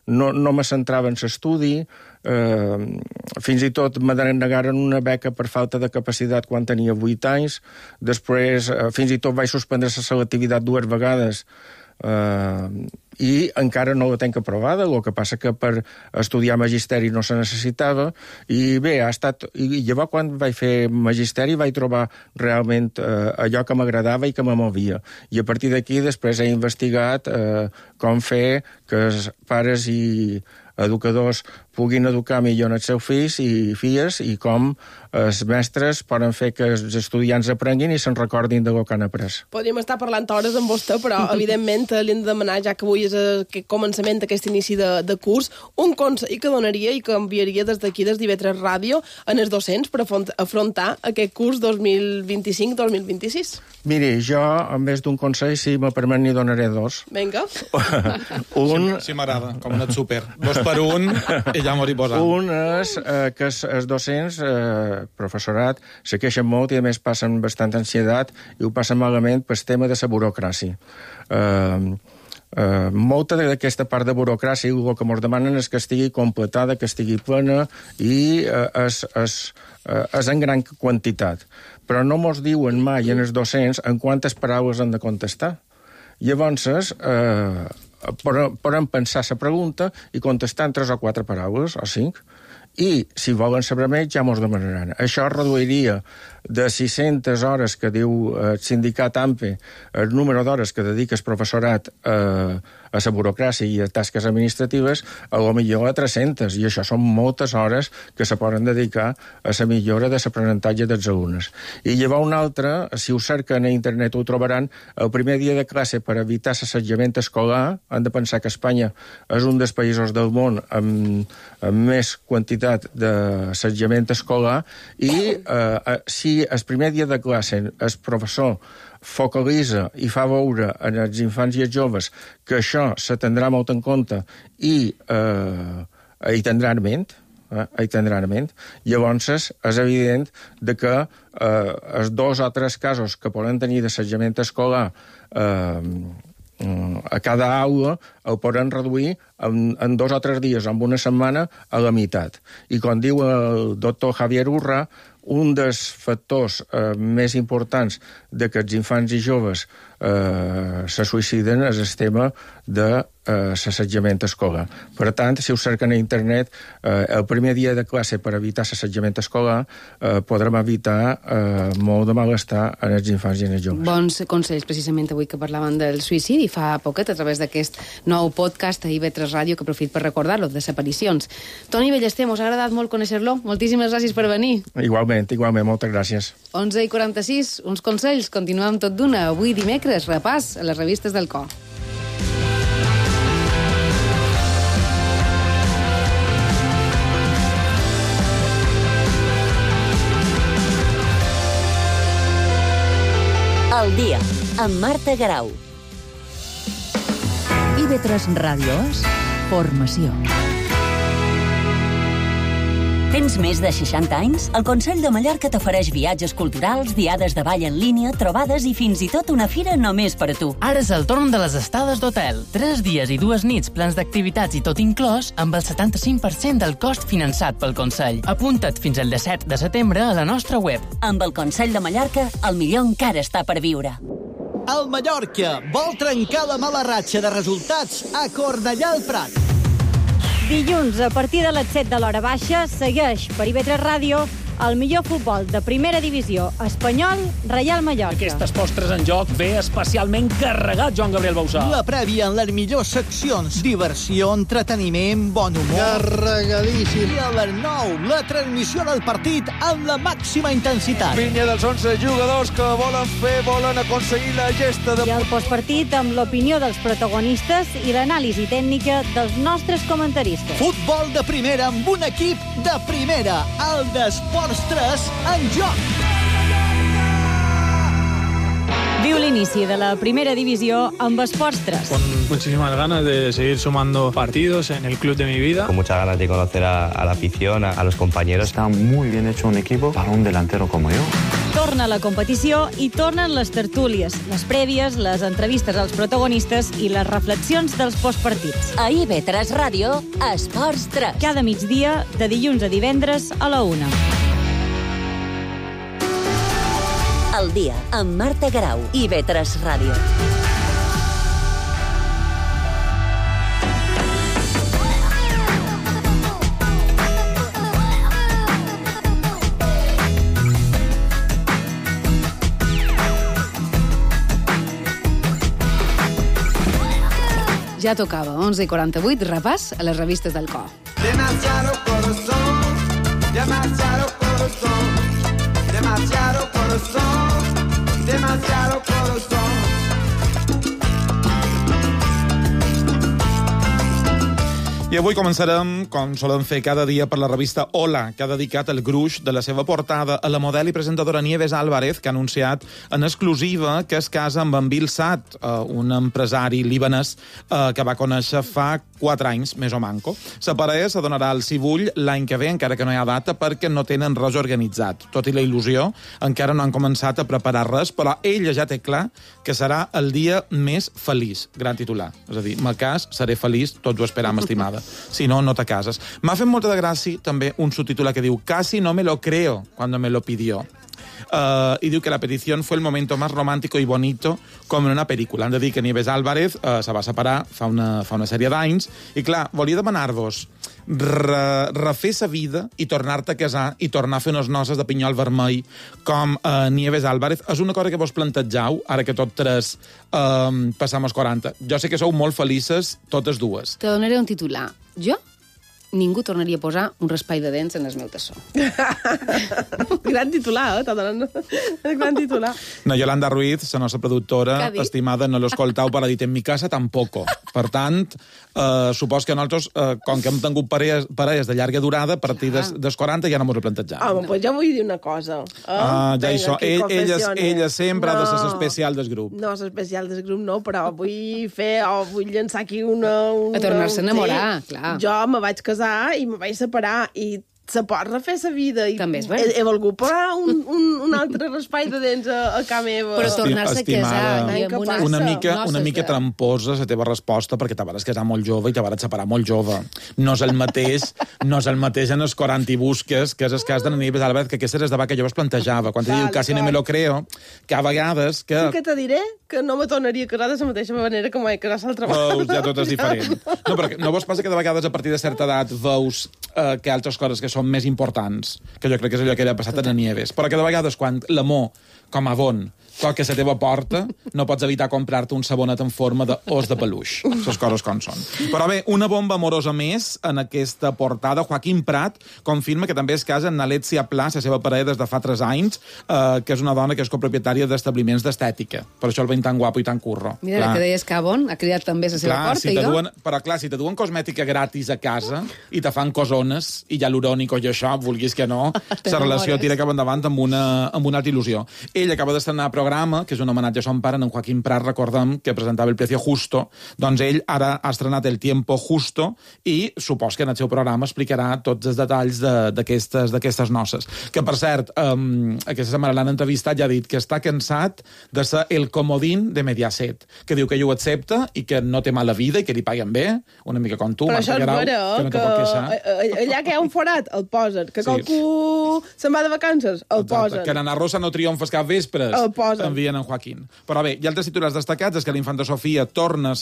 [SPEAKER 20] no me centrava en l'estudi, fins i tot me denegaren una beca per falta de capacitat quan tenia 8 anys, després fins i tot vaig suspendre la selectivitat 2 vegades, i encara no la tenc aprovada, el que passa que per estudiar magisteri no se necessitava, i bé, i llavors quan vaig fer magisteri vaig trobar realment allò que m'agradava i que me movia, i a partir d'aquí després he investigat com fer que els pares i educadors puguin educar millor els seus fills i filles, i com els mestres poden fer que els estudiants aprenguin i se'n recordin del que han après.
[SPEAKER 6] Podríem estar parlant hores amb vostè, però evidentment li hem de demanar, ja que avui és aquest començament, aquest inici de curs, un consell que donaria i que enviaria des d'aquí, des d'IV3 Ràdio, en els docents per afrontar aquest curs 2025-2026.
[SPEAKER 20] Miri, jo, en vez d'un consell, si me permet, n'hi donaré dos.
[SPEAKER 6] Vinga.
[SPEAKER 9] Sí, m'agrada, com un súper. 2 per 1 i ja m'ho hi posant.
[SPEAKER 20] Un és que els docents, professorat, se queixen molt i a més passen bastant ansietat i ho passen malament pel tema de la burocràcia. Molta d'aquesta part de burocràcia el que ens demanen és que estigui completada, que estigui plena i és en gran quantitat. Però no mos diuen mai en els docents en quantes paraules han de contestar. Llavors, podem pensar la pregunta i contestar en 3 o 4 paraules, o 5, i si volen saber més ja mos demanaran. Això reduiria de 600 hores que diu el sindicat AMPE, el número d'hores que dedica el professorat a la burocràcia i a tasques administratives, a lo millor a 300, i això són moltes hores que se poden dedicar a la millora de l'aprenentatge dels alumnes. I llavors una altra, si ho cerquen a internet ho trobaran, el primer dia de classe per evitar l'assetjament escolar, han de pensar que Espanya és un dels països del món amb més quantitat d'assetjament escolar, i si el primer dia de classe el professor focalitza i fa veure als infants i als joves que això se tindrà molt en compte i hi tindran ment, llavors és evident que els 2 o 3 casos que poden tenir d'assetjament escolar a cada aula el poden reduir en 2 o 3 dies, en una setmana, a la meitat. I com diu el doctor Javier Urra, un dels factors més importants de que els infants i joves se suïciden és el tema de l'assetjament escolar. Per tant, si ho cerquen a internet, el primer dia de classe per evitar l'assetjament escolar podrem evitar molt de malestar en els infants i en els joves.
[SPEAKER 4] Bons consells, precisament avui que parlaven del suïcidi fa poquet a través d'aquest nou podcast a IV3 Ràdio, que aprofit per recordar-lo, desaparicions. Toni Ballester, mos ha agradat molt conèixer-lo. Moltíssimes gràcies per venir.
[SPEAKER 20] Igualment, moltes gràcies.
[SPEAKER 4] 11:46, uns consells, continuem tot d'una. Avui dimecres, repàs a les revistes del cor.
[SPEAKER 3] El dia, amb Marta Garau.
[SPEAKER 2] IV3 Ràdio és formació.
[SPEAKER 3] Tens més de 60 anys? El Consell de Mallorca t'ofereix viatges culturals, diades de ball en línia, trobades i fins i tot una fira només per a tu.
[SPEAKER 1] Ara és el torn de les estades d'hotel. 3 dies i 2 nits, plans d'activitats i tot inclòs, amb el 75% del cost finançat pel Consell. Apunta't fins al 17 de setembre a la nostra web.
[SPEAKER 3] Amb el Consell de Mallorca, el millor encara està per viure.
[SPEAKER 22] El Mallorca vol trencar la mala ratxa de resultats a Cornellà al Prat.
[SPEAKER 23] Dilluns, a partir de les 7 de l'hora baixa, segueix per IV3 Ràdio
[SPEAKER 5] el millor futbol de primera divisió espanyol, Reial Mallorca.
[SPEAKER 7] Aquestes postres en joc ve especialment carregat, Joan Gabriel Bausà.
[SPEAKER 22] La prèvia en les millors seccions. Diversió, entreteniment, bon humor.
[SPEAKER 23] Carregadíssim.
[SPEAKER 22] I a les 9, la transmissió del partit amb la màxima intensitat.
[SPEAKER 23] Pinya dels 11 jugadors que volen aconseguir la gesta de...
[SPEAKER 5] I el postpartit amb l'opinió dels protagonistes i l'anàlisi tècnica dels nostres comentaristes.
[SPEAKER 22] Futbol de primera amb un equip de primera. El d'Esports 3 en joc.
[SPEAKER 5] Viu l'inici de la primera divisió amb Esports 3.
[SPEAKER 24] Con muchísimas ganas de seguir sumando partidos en el club de mi vida.
[SPEAKER 25] Con muchas ganas de conocer a la afición, a los compañeros.
[SPEAKER 14] Está muy bien hecho un equipo para un delantero como yo.
[SPEAKER 5] Torna la competició i tornen les tertúlies, les prèvies, les entrevistes als protagonistes i les reflexions dels postpartits.
[SPEAKER 3] A IB3 Ràdio, Esports 3.
[SPEAKER 5] Cada migdia, de dilluns a divendres a la 1.
[SPEAKER 3] El dia, amb Marta Grau, IB3 Ràdio.
[SPEAKER 4] Ja tocava, 11:48, repàs a les revistes del cor.
[SPEAKER 26] Demasiado corazón, demasiado corazón, demasiado corazón, demasiado corazón.
[SPEAKER 9] I avui començarem, com solem fer cada dia, per la revista Hola, que ha dedicat el gruix de la seva portada a la model i presentadora Nieves Álvarez, que ha anunciat en exclusiva que es casa amb en Bill Saad, un empresari libanès que va conèixer fa 4 anys, més o manco. La parella s'adonarà al Cibull l'any que ve, encara que no hi ha data, perquè no tenen res organitzat. Tot i la il·lusió, encara no han començat a preparar res, però ella ja té clar que serà el dia més feliç. Gran titular. És a dir, me cas, seré feliç, tots ho esperam, estimada. Si no, no te cases. M'ha fet molta de gràcia també un subtítol que diu «Casi no me lo creo cuando me lo pidió». I diu que la petició fue el momento más romántico y bonito com en una pel·lícula. Han de dir que Nieves Álvarez se va separar fa una sèrie d'anys i, clar, volia demanar-vos refer sa vida i tornar-te a casar i tornar a fer unes noces de pinyol vermell com Nieves Álvarez. És una cosa que vos plantegeu, ara que tot tres passam als 40. Jo sé que sou molt felices, totes dues.
[SPEAKER 4] Te donaré un titular. Jo? Ningú tornaria a posar un raspall de dents en el meu tassó.
[SPEAKER 6] Gran titular, t'ha donat gran titular.
[SPEAKER 9] No, Yolanda Ruiz, la nostra productora, estimada, no l'escoltau per a dir en mi casa tampoco. Per tant, supos que nosaltres, com que hem tingut parelles de llarga durada, a partir dels 40 ja no m'ho replantejam.
[SPEAKER 6] Home, doncs ja vull dir una cosa.
[SPEAKER 9] Ja hi so. Ella sempre ha de ser l'especial del grup.
[SPEAKER 6] No, l'especial del grup no, però vull llançar aquí una...
[SPEAKER 4] A tornar-se a enamorar, clar.
[SPEAKER 6] Jo me vaig casar i me vaig separar i se pot refer sa vida.
[SPEAKER 4] També és bé.
[SPEAKER 6] He volgut parar un altre raspall de dents a casa meva.
[SPEAKER 4] Però tornar-se a casar...
[SPEAKER 9] Una mica tramposa la teva resposta, perquè te vas casar molt jove i te vas separar molt jove. No és el mateix en els 40 i busques, que és el cas de Nieves Álvarez, que aquesta és de que jo es plantejava. Quan te diu casi no me lo creo, que a vegades...
[SPEAKER 6] Sí que te diré que no me tornaria a casar de la mateixa manera que m'he casat l'altra vegada.
[SPEAKER 9] Ja tot és diferent. No, perquè no vos passa que de vegades a partir de certa edat veus que altres coses que són més importants, que jo crec que és allò que ha passat a Nieves, però que de vegades quan l'amor, com a bon, toca a la teva porta, no pots evitar comprar-te un sabonet en forma d'os de peluix. Les coses com són. Però bé, una bomba amorosa més en aquesta portada. Joaquim Prat confirma que també es casa amb Alexia Pla, la seva parella des de fa 3 anys, que és una dona que és copropietària d'establiments d'estètica. Per això el veiem tan guapo i tan curro.
[SPEAKER 4] Mira, clar. Que deies que bon, ha criat també la seva porta,
[SPEAKER 9] però clar, si te duen cosmètica gratis a casa i te fan cosones i hialurònico i això, vulguis que no, la relació tira cap endavant amb una altra il·lusió. Ell acaba d'estrenar programa, que és un homenatge a son pare, en Joaquim Prat, recordem que presentava El Precio Justo, doncs ell ara ha estrenat El Tiempo Justo i supos que en el seu programa explicarà tots els detalls d'aquestes noces. Que, per cert, aquesta setmana l'han entrevistat i ha dit que està cansat de ser el comodín de Mediaset, que diu que ell ho accepta i que no té mala vida i que li paguen bé, una mica com tu,
[SPEAKER 6] Marta Guerau,
[SPEAKER 9] que no te pot queixar.
[SPEAKER 6] Allà que hi ha un forat, el posen. Que qualcú se'n va de vacances, el posen.
[SPEAKER 9] Que Nana Rosa no triomfes cap vespres, envien en Joaquín. Però bé, hi ha altres titulars destacats, és que la infanta Sofia torna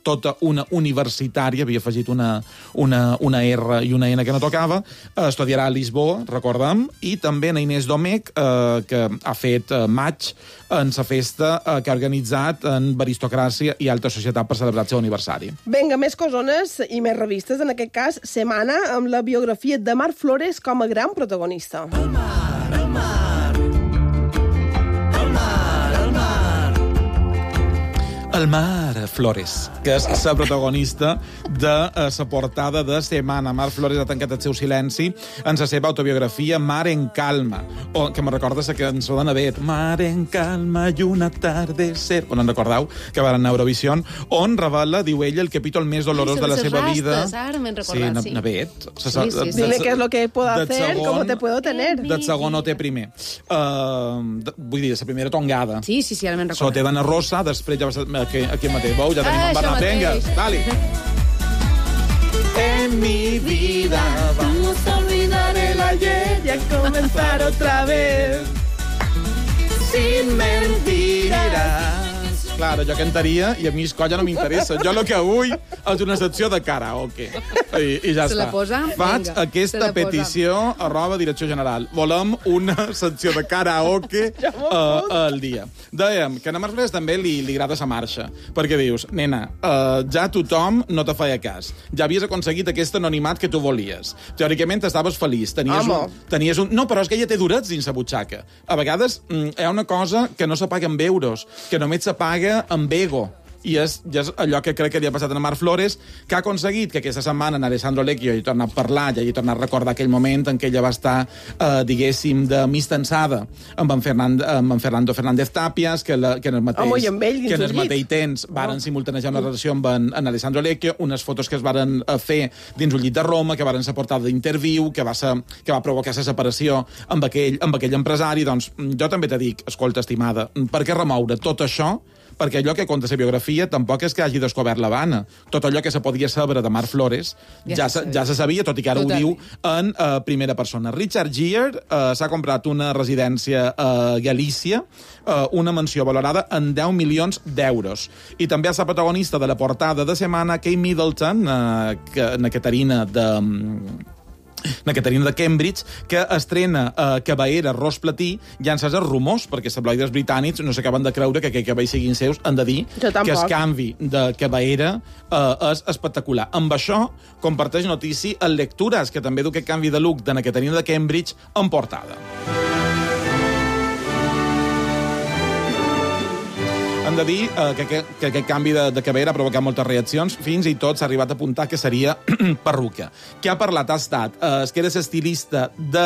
[SPEAKER 9] tota una universitària, havia afegit una R i una N que no tocava, estudiarà a Lisboa, recordem, i també en Inés Domecq, que ha fet maig en la festa que ha organitzat en Aristocràcia i Alta Societat per celebrar el seu aniversari.
[SPEAKER 6] Vinga, més cosones i més revistes, en aquest cas, Setmana, amb la biografia de Marc Flores com a gran protagonista.
[SPEAKER 26] El mar, el mar, el mar, el mar.
[SPEAKER 9] El mar, Flores, que és la protagonista de la portada de Setmana. Marc Flores ha tancat el seu silenci en la seva autobiografia Mar en calma, que me recorda la cançó de Navet, Mar en calma i un atardecer, on en recordeu que van anar a Eurovisió, on revela, diu ella, el capítol més dolorós de la seva vida.
[SPEAKER 4] Ara m'he recordat,
[SPEAKER 9] sí. Navet.
[SPEAKER 6] Dime què és lo que puedo hacer, com te puedo tener.
[SPEAKER 9] Del segon o té primer. Vull dir, la primera tongada.
[SPEAKER 4] Sí, ara me'n recordo.
[SPEAKER 9] Sote d'Anna Rosa, després ja va ser aquí mateix. Veu, ja tenim en Bernat. Venga, dale.
[SPEAKER 26] En mi vida vamos a olvidar el ayer y a comenzar otra vez. Sin mentiras.
[SPEAKER 9] Clar, jo cantaria i a mi escolla no m'interessa. Jo el que vull és una secció de karaoke. I ja
[SPEAKER 4] se
[SPEAKER 9] està.
[SPEAKER 4] la posa?
[SPEAKER 9] Faig
[SPEAKER 4] Vinga,
[SPEAKER 9] aquesta petició @ Direcció General. Volem una secció de karaoke al dia. Dèiem que a Marc Flores també li agrada la marxa, perquè dius, nena, ja tothom no te feia cas. Ja havies aconseguit aquest anonimat que tu volies. Teòricament estaves feliç. Tenies un... No, però és que ella té durets dins la butxaca. A vegades hi ha una cosa que no s'apaga amb euros, que només s'apaga amb ego. I és allò que crec que li ha passat a Marc Flores, que ha aconseguit que aquesta setmana en Alessandro Lecchio hi torna a parlar, i hi torna a recordar aquell moment en què ella va estar, diguéssim, de mistensada amb en Fernando Fernández Tapias, que en el mateix temps varen simultanejar una relació amb en Alessandro Lecchio, unes fotos que es varen fer dins un llit de Roma, que varen ser portada d'Interviu, que va provocar la separació amb aquell empresari. Doncs jo també te dic, escolta, estimada, per què remoure tot això? Perquè allò que conta la biografia tampoc és que hagi descobert l'Havana. Tot allò que se podia saber de Marc Flores ja se sabia, tot i que ara ho diu en primera persona. Richard Gere s'ha comprat una residència a Galícia, una mansió valorada en 10 milions d'euros. I també és la protagonista de la portada de setmana, Kate Middleton, na Caterina de Cambridge, que estrena Cavaera Ros Platí, llances els rumors, perquè els tabloides britànics no s'acaben de creure que aquell cabell siguin seus, han de dir que el canvi de Cavaera és espectacular. Amb això comparteix notícia en Lectures, que també du aquest canvi de look de na Caterina de Cambridge en portada. Hem de dir que aquest canvi de cabera ha provocat moltes reaccions, fins i tot s'ha arribat a apuntar que seria perruca. Qui ha parlat ha estat que era l'estilista de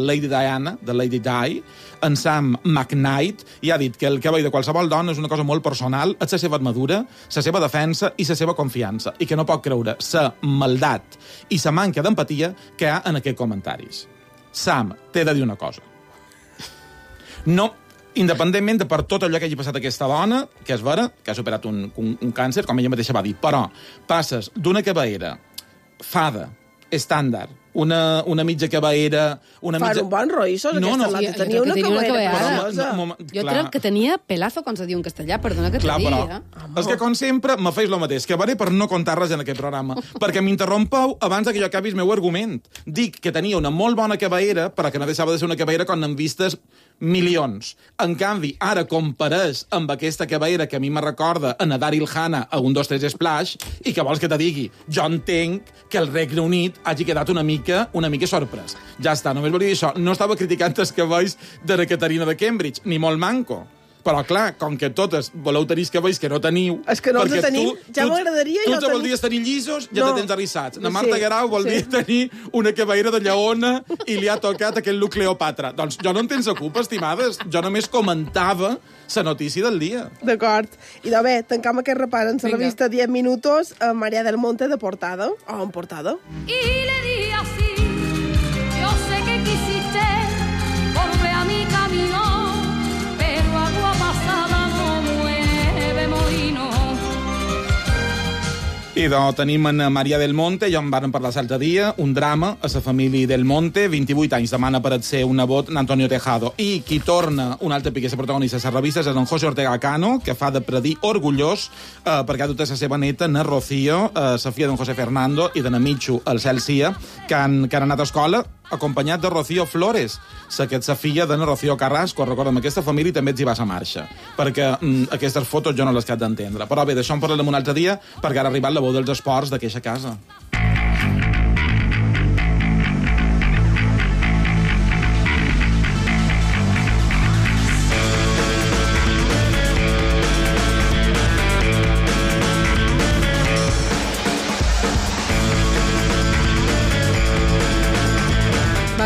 [SPEAKER 9] Lady Diana, de Lady Di, en Sam McKnight, i ha dit que el cabell de qualsevol dona és una cosa molt personal, és la seva armadura, la seva defensa i la seva confiança, i que no pot creure la maldat i la manca d'empatia que hi ha en aquests comentaris. Sam, t'he de dir una cosa. No... Independentment de per tot allò que hagi passat a aquesta dona, que és vera, que ha superat un càncer, com ella mateixa va dir, però passes d'una cabellera fada, estàndard, una mitja cabellera...
[SPEAKER 6] Fan un bon roïssos, aquesta lata. Tenia una cabellera.
[SPEAKER 4] Jo crec que tenia pelazo, com se diu en castellà, perdona que te digui.
[SPEAKER 9] És que, com sempre, me feis el mateix, que varé per no contar res en aquest programa, perquè m'interrompeu abans que jo acabi el meu argument. Dic que tenia una molt bona cabellera, però que no deixava de ser una cabellera quan n'han vistes milions. En canvi, ara comparés amb aquesta cabellera que a mi me recorda a Daryl Hannah a 1, 2, 3 Splash, i que vols que te digui? Jo entenc que el Regne Unit hagi quedat una mica sorprès. Ja està, només volia dir això. No estava criticant els cabells de la Caterina de Cambridge, ni molt manco. Però, clar, com que totes voleu tenir cabells que no teniu...
[SPEAKER 6] És que no els tenim, ja m'agradaria...
[SPEAKER 9] Tu te voldries tenir llisos, ja te tens arrissats. La Marta Guerau voldria tenir una cabellera de lleona i li ha tocat aquell look Cleopatra. Doncs jo no en tens culpa, estimades. Jo només comentava la notícia del dia.
[SPEAKER 6] D'acord. I de bé, tancam aquest repàs en la revista 10 minutos a María del Monte de portada, o en portada.
[SPEAKER 8] Y le di así, yo sé que quisiste volver a mi camino, pero agua pasada no mueve molino.
[SPEAKER 9] I tenim en Maria del Monte, ja en vàrem parlar l'altre dia, un drama a la família del Monte, 28 anys, demana per ser un nebot d'Antonio Tejado. I qui torna, un altre pique, la protagonista de les revistes, és en José Ortega Cano, que fa de predí orgullós perquè ha dut a la seva neta, na Rocío, la filla d'en José Fernando i de na Michu, el Cel Cia, que han anat a escola acompanyat de Rocío Flores, la filla de na Rocío Carrasco. Recorda'm, aquesta família també ets hi va a marxa, perquè aquestes fotos jo no les cap d'entendre. Però bé, d'això en parlarem un altre dia, perquè ara ha arribat la veu dels esports d'aquesta casa.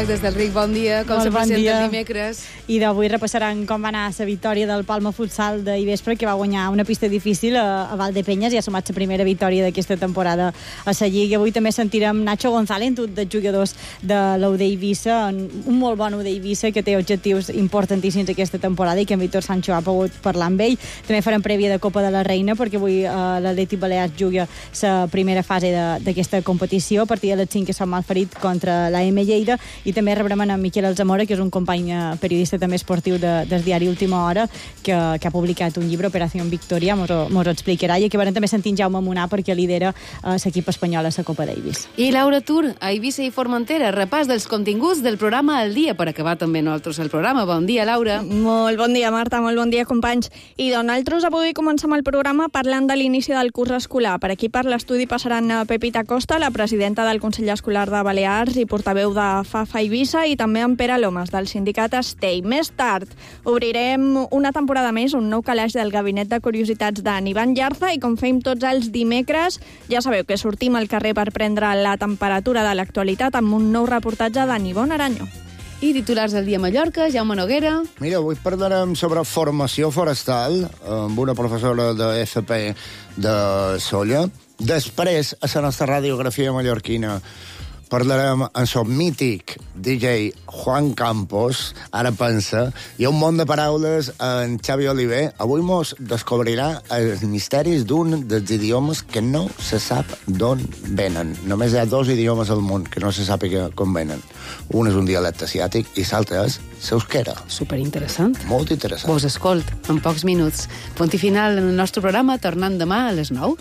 [SPEAKER 4] Des del Ric, bon dia, com se presenta el dimecres.
[SPEAKER 5] I d'avui repassaran com va anar la victòria del Palma Futsal d'ahir vespre, que va guanyar una pista difícil a Valdepenyes i ha sumat la primera victòria d'aquesta temporada a la Lliga. Avui també sentirem Nacho González, un dels jugadors de l'UD Eivissa, un molt bon UD Eivissa que té objectius importantíssims aquesta temporada i que en Víctor Sancho ha pogut parlar amb ell. També farem prèvia de Copa de la Reina, perquè avui l'Atlètic Balears juga la primera fase d'aquesta competició, a partir de les 5 que són Malferit contra l'AM Lleida, i també rebrem en Miquel Alzamora, que és un company periodista també esportiu del diari Última Hora, que ha publicat un llibre, Operació Victòria, mos ho explicarà, i acabarem també sentint Jaume Munà, perquè lidera l'equip espanyol a la Copa Davis.
[SPEAKER 4] I Laura Tur, a Eivissa i Formentera, repàs dels continguts del programa al dia, per acabar també nosaltres el programa. Bon dia, Laura.
[SPEAKER 10] Molt bon dia, Marta, molt bon dia, companys. I nosaltres avui comencem el programa parlant de l'inici del curs escolar. Per aquí per l'estudi passaran Pepita Costa, la presidenta del Consell Escolar de Balears i portaveu de FAFA Eivissa, i també en Pere Lomas, del sindicat Estei. Més tard obrirem una temporada més, un nou calaix del Gabinet de Curiositats d'en Ivan Llarza, i com fem tots els dimecres, ja sabeu que sortim al carrer per prendre la temperatura de l'actualitat amb un nou reportatge d'en Ivonne Aranyo.
[SPEAKER 4] I titulars del dia a Mallorca, Jaume Noguera.
[SPEAKER 11] Mira, avui parlarem sobre formació forestal amb una professora de FP de Solla. Després, a la nostra radiografia mallorquina, parlarem amb el mític DJ Juan Campos, ara pensa, hi ha un món de paraules en Xavi Oliver. Avui mos descobrirà els misteris d'un dels idiomes que no se sap d'on venen. Només hi ha 2 idiomes al món que no se sàpiga com venen. Un és un dialecte asiàtic i l'altre és l'euskera.
[SPEAKER 4] Superinteressant.
[SPEAKER 11] Molt interessant.
[SPEAKER 4] Vos escolt en pocs minuts. Punt i final en el nostre programa, tornant demà a les 9.